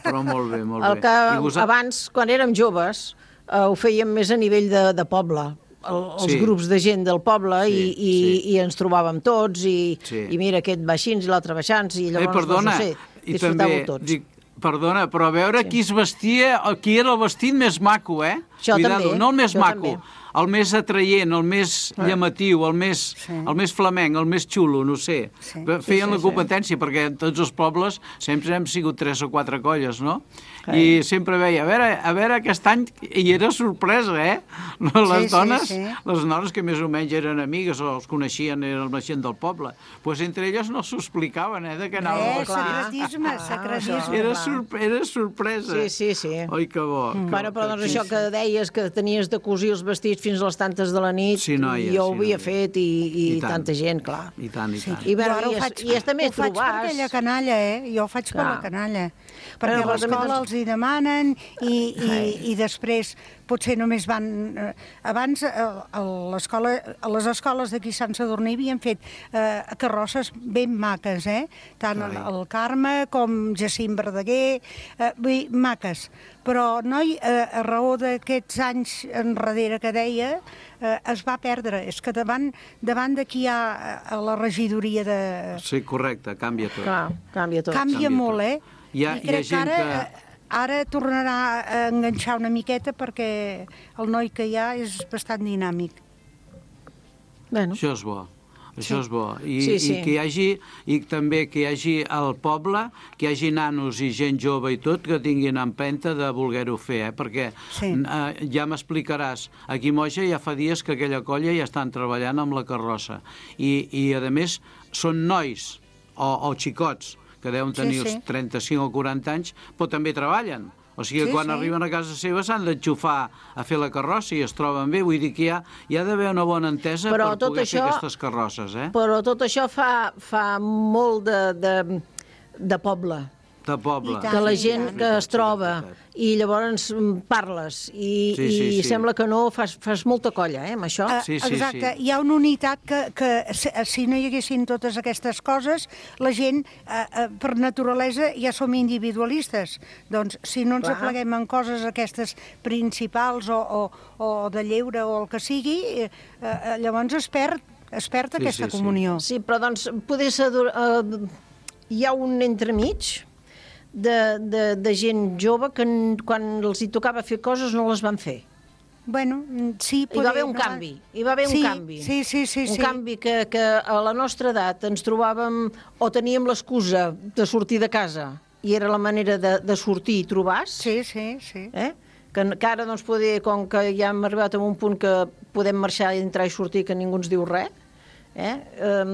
Però molt bé, molt El bé. que I vosa- abans, quan érem joves, eh, ho fèiem més a nivell de, de poble. El, els Sí. grups de gent del poble Sí, i, i, sí. i ens trobàvem tots i, Sí. i mira, aquest baixins i l'altre baixants i Eh, llavors, perdona, doncs, no sé, i disfrutàveu també, tots. dic, perdona, però a veure sí. qui es vestia, qui era el vestit més maco, eh? Això Cuidado, també, no el més això maco, també. el més atraient, el més Ah. llamatiu, el més, Sí. el més flamenc, el més xulo, no sé. Sí. Feien Sí, sí, la sí. competència, perquè en tots els pobles sempre hem sigut tres o quatre colles, no? Sí. I sempre veia, a veure, a veure aquest any, i era sorpresa, eh? Les Sí, sí, dones, sí. les dones que més o menys eren amigues o els coneixien, eren la gent del poble, pues entre elles no s'ho explicaven, eh, de què anava Eh, el vestit. secretisme, Ah, secretisme. Era, clar. sorp era sorpresa. Sí, sí, sí. Oi, que bo. Que, Bueno, però doncs que- això que deies, que tenies de cosir els vestits fins a les tantes de la nit, Sí, noia, jo ho sí, havia noia. fet i, i, I tant. tanta gent, clar. I tant, i tant. I, Jo bueno, ara ho i, faig, és, i és també ho faig per trobar... aquella canalla, eh? Jo ho faig per Clar. la canalla. Perquè Bueno, a però també l'escola doncs- els hi demanen i, i, i després potser només van... Eh, abans eh, a l'escola, a les escoles d'aquí a Sant Sadurní havien fet eh, carrosses ben maques, eh? Tant el, Carai. el Carme com Jacint Verdaguer, eh, vull dir, maques. Però, noi, eh, a raó d'aquests anys enrere que deia, eh, es va perdre. És que davant, davant d'aquí hi ha a la regidoria de... Sí, correcte, canvia tot. Clar, canvia tot. Canvia canvia molt, tot. eh? Hi ha- I hi ha crec que gent ara, que- eh, ara tornarà a enganxar una miqueta perquè el noi que hi ha és bastant dinàmic. Bueno, Això és bo. Això Sí. és bo. I, Sí, sí. I que hi hagi, i també que hi hagi al poble, que hi hagi nanos i gent jove i tot, que tinguin empenta de voler-ho fer, eh? Perquè Sí. eh, ja m'explicaràs, aquí a Moja ja fa dies que aquella colla ja estan treballant amb la carrossa. I, i a més, són nois o, o xicots, que deuen Sí, tenir sí. els trenta-cinc o quaranta anys, però també treballen. O sigui, Sí, quan sí. arriben a casa seva s'han d'enxufar a fer la carrossa i es troben bé. Vull dir que hi ha, hi ha d'haver una bona entesa Però per tot poder això- fer aquestes carrosses, eh? però tot això fa, fa molt de, de, de poble. De poble. I tant. Que la sí, gent tant. que es troba i llavors mm, parles i, Sí, sí, i sí. sembla que no, fas, fas molta colla, eh, amb això. Eh, Sí, sí, Exacte, sí. hi ha una unitat que, que si, si no hi haguessin totes aquestes coses, la gent, eh, eh, per naturalesa, ja som individualistes. Doncs, si no ens Clar. apleguem en coses aquestes principals o, o, o de lleure o el que sigui, eh, eh, llavors es perd, es perd Sí, aquesta sí, sí. comunió. Sí, però doncs poder ser... Uh, hi ha un entremig de, de, de gent jove que n- quan els hi tocava fer coses no les van fer. Bueno, mm, sí, Hi va haver un no? canvi, hi va haver sí, un canvi. Sí, sí, sí. un sí. canvi que, que a la nostra edat ens trobàvem o teníem l'excusa de sortir de casa i era la manera de, de sortir i trobar-se. Sí, sí, sí. Eh? Que, que ara, doncs, poder, com que ja hem arribat a un punt que podem marxar, entrar i sortir, que ningú ens diu res, eh? Um,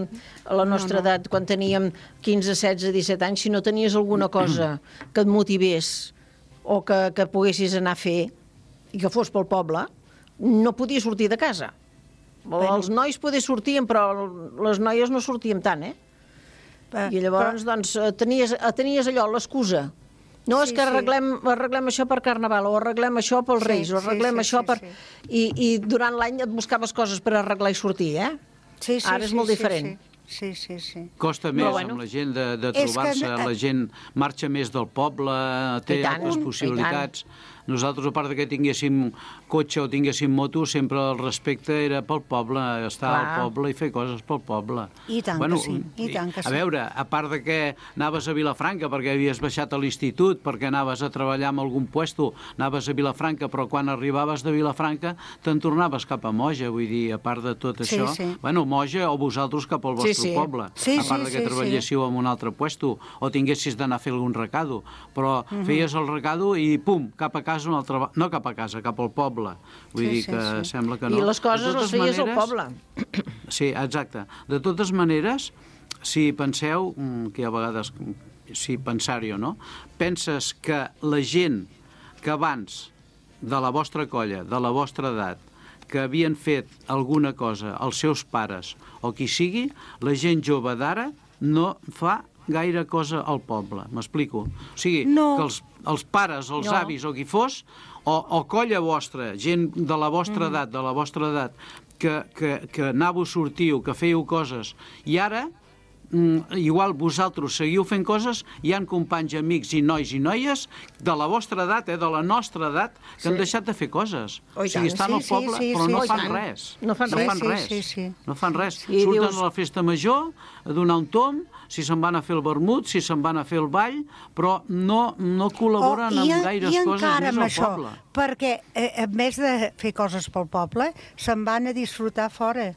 a la nostra No, no. edat, quan teníem quinze, setze, disset anys, si no tenies alguna cosa que et motivés o que, que poguessis anar a fer i que fos pel poble, no podies sortir de casa. Bueno. Els nois poder sortien, però les noies no sortíem tant, eh? Eh, I llavors, doncs, eh, tenies, eh, tenies allò, l'excusa. No Sí, és que sí. arreglem, arreglem això per Carnaval, o arreglem això pels Sí, Reis, o sí, arreglem sí, això sí, per... sí. I, I durant l'any et buscaves coses per arreglar i sortir, eh? Sí, sí, Ara és sí, molt sí, diferent. Sí, sí, sí. Costa més bueno. amb la gent de, de És que, trobar-se, eh, la gent marxa més del poble, té I tant, altres i possibilitats. nosaltres, a part de que tinguéssim cotxe o tinguéssim moto, sempre el respecte era pel poble, estar Clar. al poble i fer coses pel poble. I tant bueno, que sí, i tant que sí. A veure, a part de que anaves a Vilafranca perquè havies baixat a l'institut, perquè anaves a treballar en algun puesto, anaves a Vilafranca, però quan arribaves de Vilafranca te'n tornaves cap a Moja, vull dir, a part de tot sí, això, sí. bueno, Moja o vosaltres cap al vostre sí, sí. poble, sí, a part sí, de que sí, treballéssiu sí. en un altre puesto o tinguessis d'anar a fer algun recado, però uh -huh. feies el recado i pum, cap a casa un altre... no cap a casa, cap al poble. Vull sí, dir que sí, sí. sembla que no. I les coses les feies maneres, al poble. Sí, exacte. De totes maneres, si penseu, que a vegades, si pensar-hi o no, penses que la gent que abans de la vostra colla, de la vostra edat, que havien fet alguna cosa, els seus pares o qui sigui, la gent jove d'ara no fa gaire cosa al poble, m'explico? O sigui, no. que els, els pares, els no. avis o qui fos, o, o colla vostra, gent de la vostra mm. edat, de la vostra edat, que, que, que anàveu, sortiu, que fèieu coses, i ara, mm, igual vosaltres seguiu fent coses, hi han companys, amics i nois i noies de la vostra edat, eh, de la nostra edat, que sí. han deixat de fer coses. Oh, o sigui, estan al poble, sí, sí, però sí, no, sí, fan sí. res. no fan no res. Fan sí, res. Sí, sí. No fan res. I Surten dius... a la festa major a donar un tom, si se'n van a fer el vermut, si se'n van a fer el ball, però no, no col·laboren oh, amb gaires coses més al això, poble. Perquè, eh, en més de fer coses pel poble, se'n van a disfrutar fora.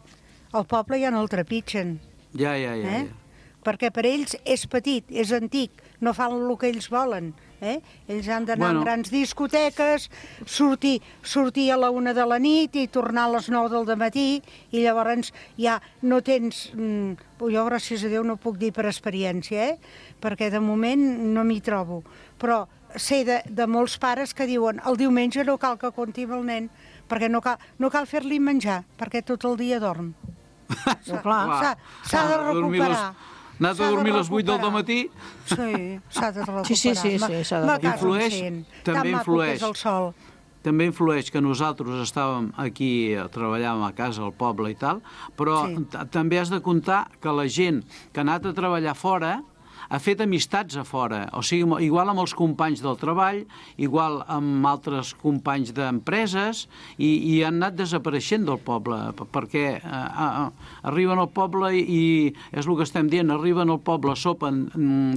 Al poble ja no el trepitgen. Ja, ja, ja. Eh? ja. Perquè per ells és petit, és antic, no fan el que ells volen. Eh? Ells han d'anar bueno. a grans discoteques, sortir, sortir a la una de la nit i tornar a les nou del dematí, i llavors ja no tens... Mm, jo, gràcies a Déu, no puc dir per experiència, eh? Perquè de moment no m'hi trobo. Però sé de, de molts pares que diuen el diumenge no cal que compti amb el nen, perquè no cal, no cal fer-li menjar, perquè tot el dia dorm. S'ha de recuperar. Anat a dormir a les vuit del matí? Sí, s'ha de recuperar. Sí, sí, sí, sí s'ha de recuperar. Influeix, també influeix, el sol. també influeix que nosaltres estàvem aquí, treballàvem a casa, al poble i tal, però sí. també has de comptar que la gent que ha anat a treballar fora ha fet amistats a fora, o sigui, igual amb els companys del treball, igual amb altres companys d'empreses, i, i han anat desapareixent del poble, perquè eh, eh, arriben al poble i, i és el que estem dient, arriben al poble, sopen,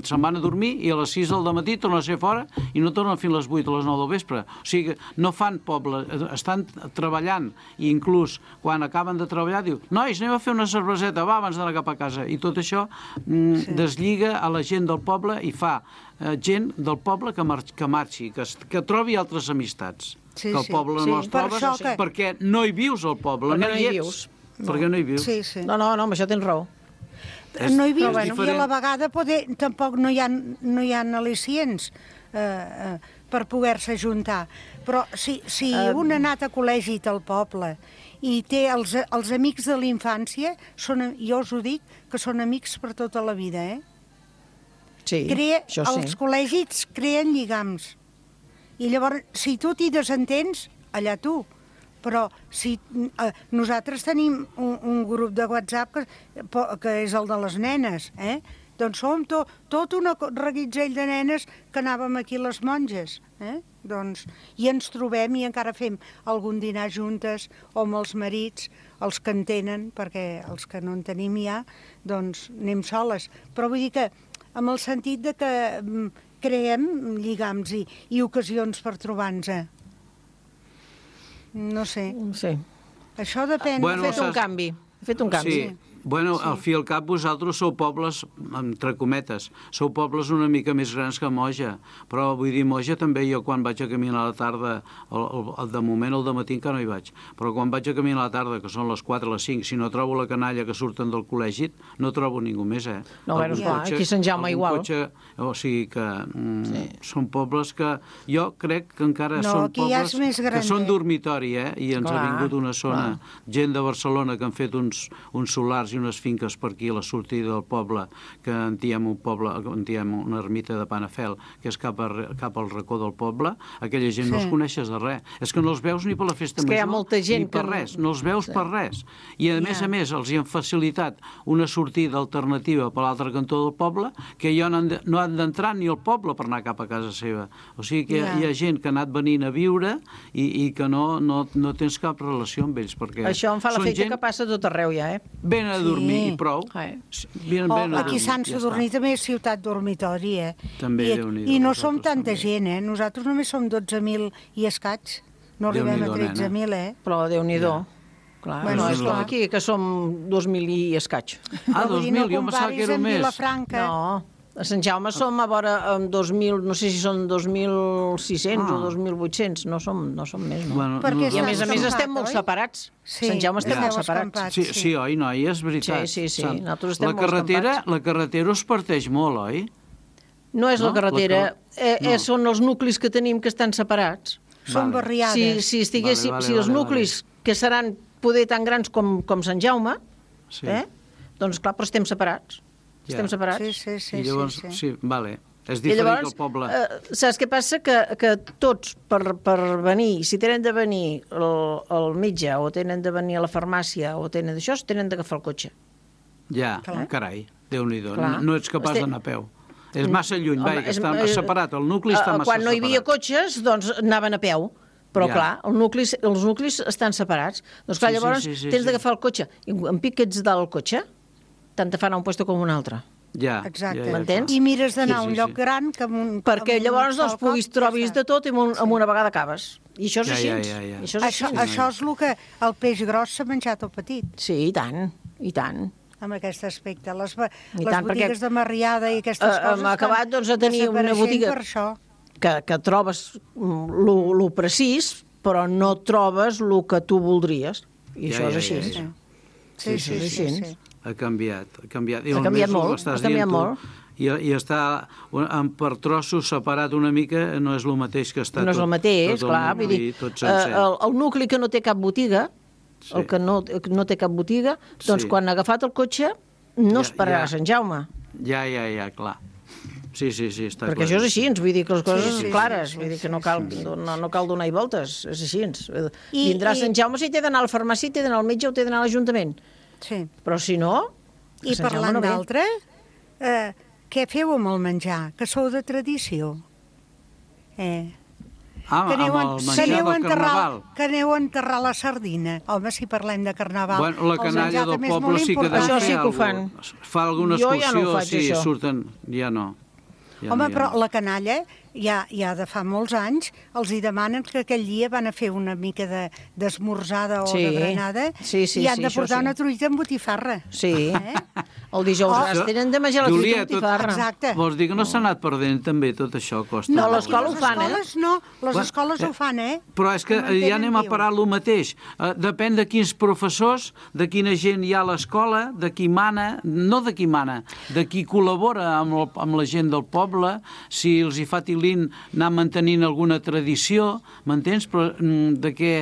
se'n van a dormir i a les sis del matí tornen a ser fora i no tornen fins a les vuit o les nou del vespre. O sigui, no fan poble, estan treballant, i inclús quan acaben de treballar diu, nois, anem a fer una cerveseta, va, abans d'anar cap a casa. I tot això mm, sí. deslliga a la gent del poble i fa eh, gent del poble que, mar que marxi, que, que trobi altres amistats. Sí, que el poble sí. no sí, els trobes per que... perquè no hi vius al poble. Perquè no, no hi vius. No. Perquè no hi vius. Sí, sí. No, no, no, amb això tens raó. És, no hi vius bueno, i a la vegada poder, tampoc no hi ha, no hi ha al·licients eh, eh, per poder-se juntar. Però si, si um... un ha anat a col·legi al poble i té els, els amics de la infància, són, jo us ho dic, que són amics per tota la vida, eh? Sí, Crea, això sí. Els col·legis creen lligams. I llavors, si tu t'hi desentens, allà tu. Però si eh, nosaltres tenim un, un grup de WhatsApp que, que és el de les nenes, eh? Doncs som to, tot un reguitzell de nenes que anàvem aquí les monges, eh? Doncs, i ens trobem i encara fem algun dinar juntes, o amb els marits, els que en tenen, perquè els que no en tenim ja, doncs anem soles. Però vull dir que amb el sentit de que creem lligams i, i ocasions per trobar-nos. No sé. Sí. Això depèn. Bueno, ha fet un canvi. Ha fet un canvi. Sí. Bueno, sí. Al fi i al cap vosaltres sou pobles, entre cometes, sou pobles una mica més grans que Moja, però vull dir, Moja també jo quan vaig a caminar a la tarda, el, el, el, de moment el dematí encara no hi vaig, però quan vaig a caminar a la tarda, que són les quatre o les cinc, si no trobo la canalla que surten del col·legi, no trobo ningú més, eh? No, bueno, clar, cotxe, aquí Sant Jaume igual. Cotxe, o sigui que mm, sí. són pobles que jo crec que encara no, són pobles ja que són dormitori, eh? I ens clar, ha vingut una zona, clar. gent de Barcelona que han fet uns, uns solars hagi unes finques per aquí a la sortida del poble, que en diem un poble, en diem una ermita de Panafel, que és cap, a, cap al racó del poble, aquella gent sí. no els coneixes de res. És que no els veus ni per la festa major, molta gent ni per que... res, no els veus sí. per res. I a yeah. més a més els hi han facilitat una sortida alternativa per l'altre cantó del poble, que ja no han, de, no han d'entrar ni al poble per anar cap a casa seva. O sigui que yeah. hi ha gent que ha anat venint a viure i, i que no, no, no tens cap relació amb ells, perquè això em fa l'efecte gent... que passa tot arreu ja, eh? Venen a dormir sí. i prou. Vienen, oh, venen a aquí a Sant Sadurní ja també és ciutat dormitori, eh? També, I, Déu-n'hi-do. I no som tanta també. gent, eh? Nosaltres només som dotze mil i escaig. No arribem a tretze mil, eh? Però Déu-n'hi-do. Ja. Clar, bueno, és com aquí, que som dos mil i escaig. Ah, dos mil, jo em pensava que era més. No, a Sant Jaume som a vora amb dos mil, no sé si són dos mil sis-cents ah. o dos mil vuit-cents, no som, no som més, no? Bueno, no I a més a més estem molt separats. Sí, Sant Jaume estem ja. molt separats. Sí, sí, oi, noi, és veritat. Sí, sí, sí, nosaltres estem la carretera, molt la carretera us parteix molt, oi? No és no? la carretera, la car... eh, eh, no. són els nuclis que tenim que estan separats. Són vale. barriades. Si, si, estiguéssim, vale, vale, si els vale, nuclis vale. que seran poder tan grans com, com Sant Jaume, sí. eh? doncs clar, però estem separats. Ja. Estem separats. Sí, sí, sí. I llavors, sí, sí. sí vale. És I diferent llavors, que el poble... Eh, saps què passa? Que, que tots, per, per venir, si tenen de venir el, el metge, o tenen de venir a la farmàcia, o tenen d'això, tenen d'agafar el cotxe. Ja, clar. Carai, Déu-n'hi-do. No, no ets capaç Este... d'anar a peu. És massa lluny, Home, vai, que és, està és, separat, el nucli està massa separat. Quan no hi havia cotxes, doncs anaven a peu. Però, ja. clar, el nucli, els nuclis estan separats. Doncs, clar, sí, llavors sí, sí, sí, tens sí. d'agafar el cotxe. I en pic que ets del cotxe, tant te fan a un puesto com un altre. Ja, exacte. Ja, ja, m'entens? I mires d'anar sí, a un sí, lloc sí. gran que amb un... Perquè amb llavors un doncs, puguis trobis de tot i amb, un, amb una vegada acabes. I això és ja, així. Ja, ja, ja. Això és, això, així. això és el que el peix gros s'ha menjat el petit. Sí, i tant, i tant. Amb aquest aspecte. Les, les tant, botigues perquè, de Marriada i aquestes uh, coses hem acabat doncs, a tenir una botiga per això. Que, que trobes el precís, però no trobes el que tu voldries. I ja, això és ja, així. Ja, ja. Sí, sí, sí, sí, sí. Ha canviat, ha canviat. I ha canviat molt, ha canviat molt. I, i està en, per trossos separat una mica no és el mateix que està no tot. No és el mateix, tot clar. El, Vull dir, tot el, el nucli que no té cap botiga, sí. el que no, no té cap botiga, doncs sí. quan ha agafat el cotxe no ja, esperarà ja. Sant Jaume. Ja, ja, ja, clar. Sí, sí, sí, està Perquè clar. això és així, ens vull dir que les coses sí, sí, clares, sí, sí, vull dir que no cal, sí, sí. no, no cal donar-hi voltes, és així. I, Vindrà i... Sant Jaume si té d'anar a la farmàcia, té d'anar al metge o té d'anar a l'Ajuntament. Sí. Però si no... I parlant no d'altre, eh, què feu amb el menjar? Que sou de tradició. Eh... Ah, que aneu, amb el menjar del enterrar, carnaval. Que aneu a enterrar la sardina. Home, si parlem de carnaval... Bueno, la canalla del poble sí que deu això fer sí que ho fan. Fa alguna jo excursió, ja no ho faig, sí, això. surten... Ja no. Ja Home, no, ja però no. la canalla, ja, ja de fa molts anys, els hi demanen que aquell dia van a fer una mica d'esmorzada de, o sí. de berenada sí, sí, i han sí, de portar sí. una truita amb botifarra. Sí. Eh? El dijous oh, gras tenen de menjar la truita amb botifarra. Exacte. Vols dir que no s'ha anat perdent també tot això? Costa no, l'escola ho fan, eh? No, les bueno, escoles ho fan, eh? Però és que ja anem a parar el mateix. Uh, depèn de quins professors, de quina gent hi ha a l'escola, de qui mana, no de qui mana, de qui col·labora amb, el, amb la gent del poble, si els hi fa tilín anar mantenint alguna tradició, m'entens? Però de què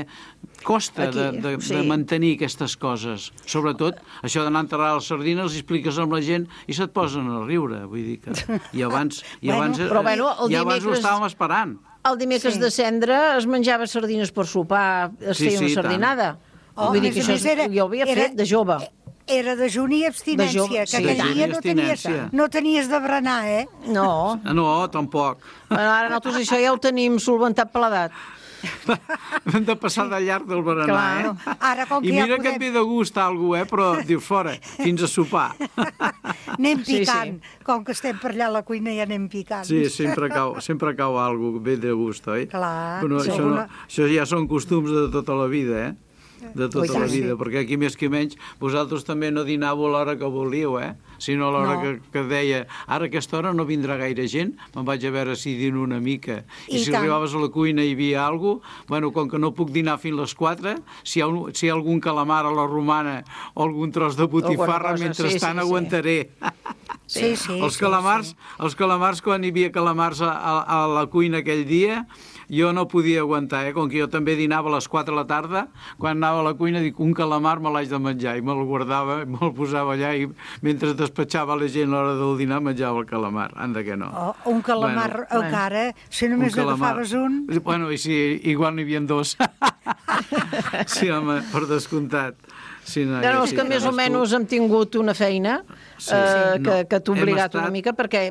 costa Aquí, de, de, sí. de mantenir aquestes coses. Sobretot, això d'anar a enterrar les sardines, els expliques amb la gent i se't posen a riure. Vull dir que... I abans, i abans, bueno, però, bueno, i abans dimecres... ho estàvem esperant. El dimecres sí. de cendre es menjava sardines per sopar, es sí, feia sí, una sardinada. Oh, Vull dir que això era, jo ho havia era, fet de jove. Era dejuni i abstinència, de que sí. aquell dia no tenies, no tenies de berenar, eh? No. No, tampoc. Bueno, ara nosaltres això ja ho tenim solventat per l'edat. Hem de passar de llarg del berenar, Clar. eh? Ara, com que I mira ja podem... que et ve de gust alguna eh? Però dius fora, fins a sopar. Anem picant. Sí, sí. Com que estem per allà a la cuina ja anem picant. Sí, sempre cau, sempre cau alguna ve de gust, oi? Clar. Però sí, això, alguna... no, això ja són costums de tota la vida, eh? De tota Ui, la vida, sí. perquè aquí més que menys vosaltres també no dinàveu a l'hora que volíeu, eh? Sinó a l'hora no. que, que deia ara a aquesta hora no vindrà gaire gent, me'n vaig a veure si dino una mica. I, I si tant. arribaves a la cuina i hi havia alguna cosa, bueno, com que no puc dinar fins les quatre, si hi ha, un, si hi ha algun calamar a la romana o algun tros de botifarra, mentrestant sí, sí, aguantaré. Sí, sí, els, sí, calamars, sí. els calamars, quan hi havia calamars a, a, a la cuina aquell dia, jo no podia aguantar, eh? Com que jo també dinava a les quatre de la tarda, quan anava a la cuina dic, un calamar me l'haig de menjar, i me'l guardava, me'l posava allà, i mentre despatxava la gent a l'hora del dinar menjava el calamar, anda que no. Oh, un calamar bueno, encara, si només n'agafaves un... Bueno, i si igual n'hi havia dos. Sí, home, per descomptat. Sí, no, no, és que més o menys hem tingut una feina sí, eh, sí, no. que, que t'ha obligat estat... una mica, perquè...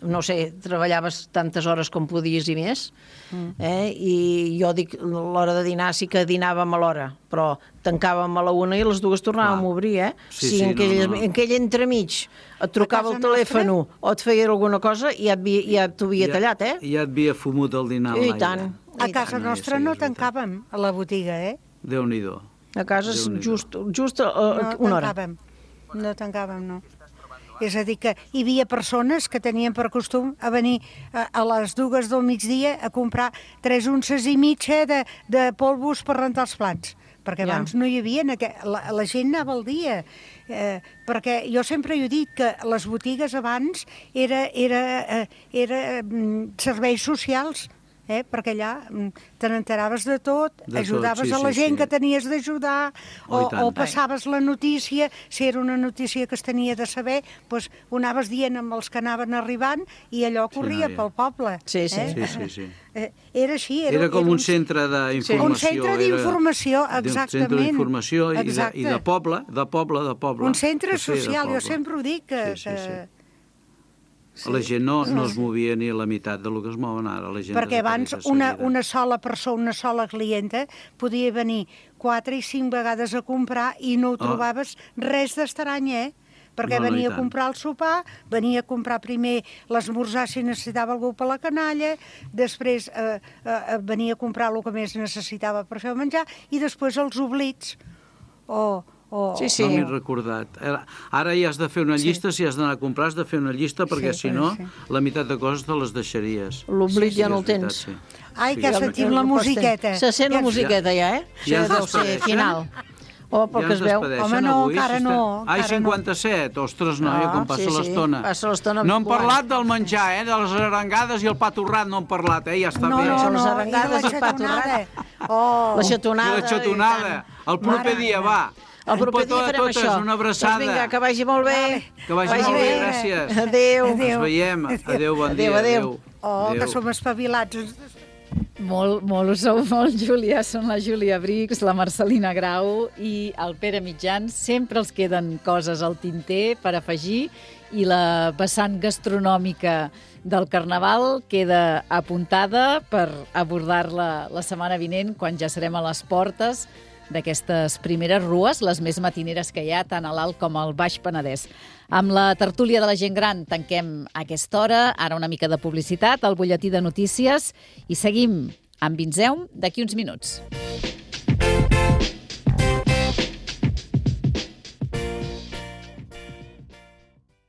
no sé, treballaves tantes hores com podies i més, mm. eh? I jo dic, l'hora de dinar sí que dinàvem a l'hora, però tancàvem a la una i a les dues tornàvem a obrir, eh? Sí, si sí, en aquell, no, no. en aquell entremig et trucava el telèfon nostra? O et feia alguna cosa i ja, ja t'ho havia ja, tallat, eh? Ja et havia fumut el dinar a l'aire. I tant. A casa nostra no tancàvem a la botiga, eh? Déu-n'hi-do. A casa just, just uh, una hora. No tancàvem, no tancàvem, no. És a dir, que hi havia persones que tenien per costum a venir a, a les dues del migdia a comprar tres unces i mitja de, de polvos per rentar els plats, perquè abans ja. no hi havia, la, la gent anava al dia, eh, perquè jo sempre he dit que les botigues abans era, era, eh, era serveis socials, eh? Perquè allà te n'enteraves de tot, de ajudaves tot, sí, a la gent sí, sí. que tenies d'ajudar, o, oh, o passaves la notícia, si era una notícia que es tenia de saber, doncs ho anaves dient amb els que anaven arribant i allò corria sí, no, pel poble. Sí, sí. Eh? sí, sí, sí. Eh, era així. Era, era com era un, un centre d'informació. Un centre d'informació, exactament. Un centre d'informació i, de, i de poble, de poble, de poble. Un centre social, jo sempre ho dic, que... Sí, sí, sí. que Sí. La gent no, no es movia ni a la meitat del que es mouen ara. La gent perquè abans una, una sola persona, una sola clienta, podia venir quatre i cinc vegades a comprar i no ho trobaves oh. res d'estrany, eh? Perquè no, no, venia a comprar el sopar, venia a comprar primer l'esmorzar si necessitava algú per la canalla, després eh, eh, venia a comprar el que més necessitava per fer el menjar, i després els oblits. O... Oh, sí, sí. No m'he recordat. Ara ja has de fer una llista, sí. si has d'anar a comprar has de fer una llista, perquè sí, si no, sí. la meitat de coses te les deixaries. L'oblit sí, ja no el tens. Sí. Ai, que sí, sentim la musiqueta. Se sent la musiqueta ja, eh? Ja, ja deu ser final. O pel ja que es veu. Home, no, avui, encara si no. Ai, cinquanta-set, ostres, noia, com passa sí, l'estona. Sí, passa l'estona. No hem parlat del menjar, eh? De les arengades i el pa torrat no hem parlat, eh? Ja està no, bé. No, no, les arengades i el pa torrat. Oh. La xatonada. I la xatonada. El proper dia, va. El proper dia farem totes, això. Una abraçada. Doncs vinga, que vagi molt bé. Que vagi, vagi molt bé, bé, gràcies. Adéu. Ens veiem. Adéu, bon dia. Adéu, adéu. Oh, adéu. Que som espavilats. Molt, molt, ho sou molt, Júlia. Són la Júlia Brix, la Marcelina Grau i el Pere Mitjans. Sempre els queden coses al tinter per afegir i la vessant gastronòmica del Carnaval queda apuntada per abordar-la la setmana vinent, quan ja serem a les portes d'aquestes primeres rues, les més matineres que hi ha, tant a l'Alt com al Baix Penedès. Amb la tertúlia de la gent gran tanquem aquesta hora, ara una mica de publicitat, el butlletí de notícies, i seguim amb Vinzeum d'aquí uns minuts.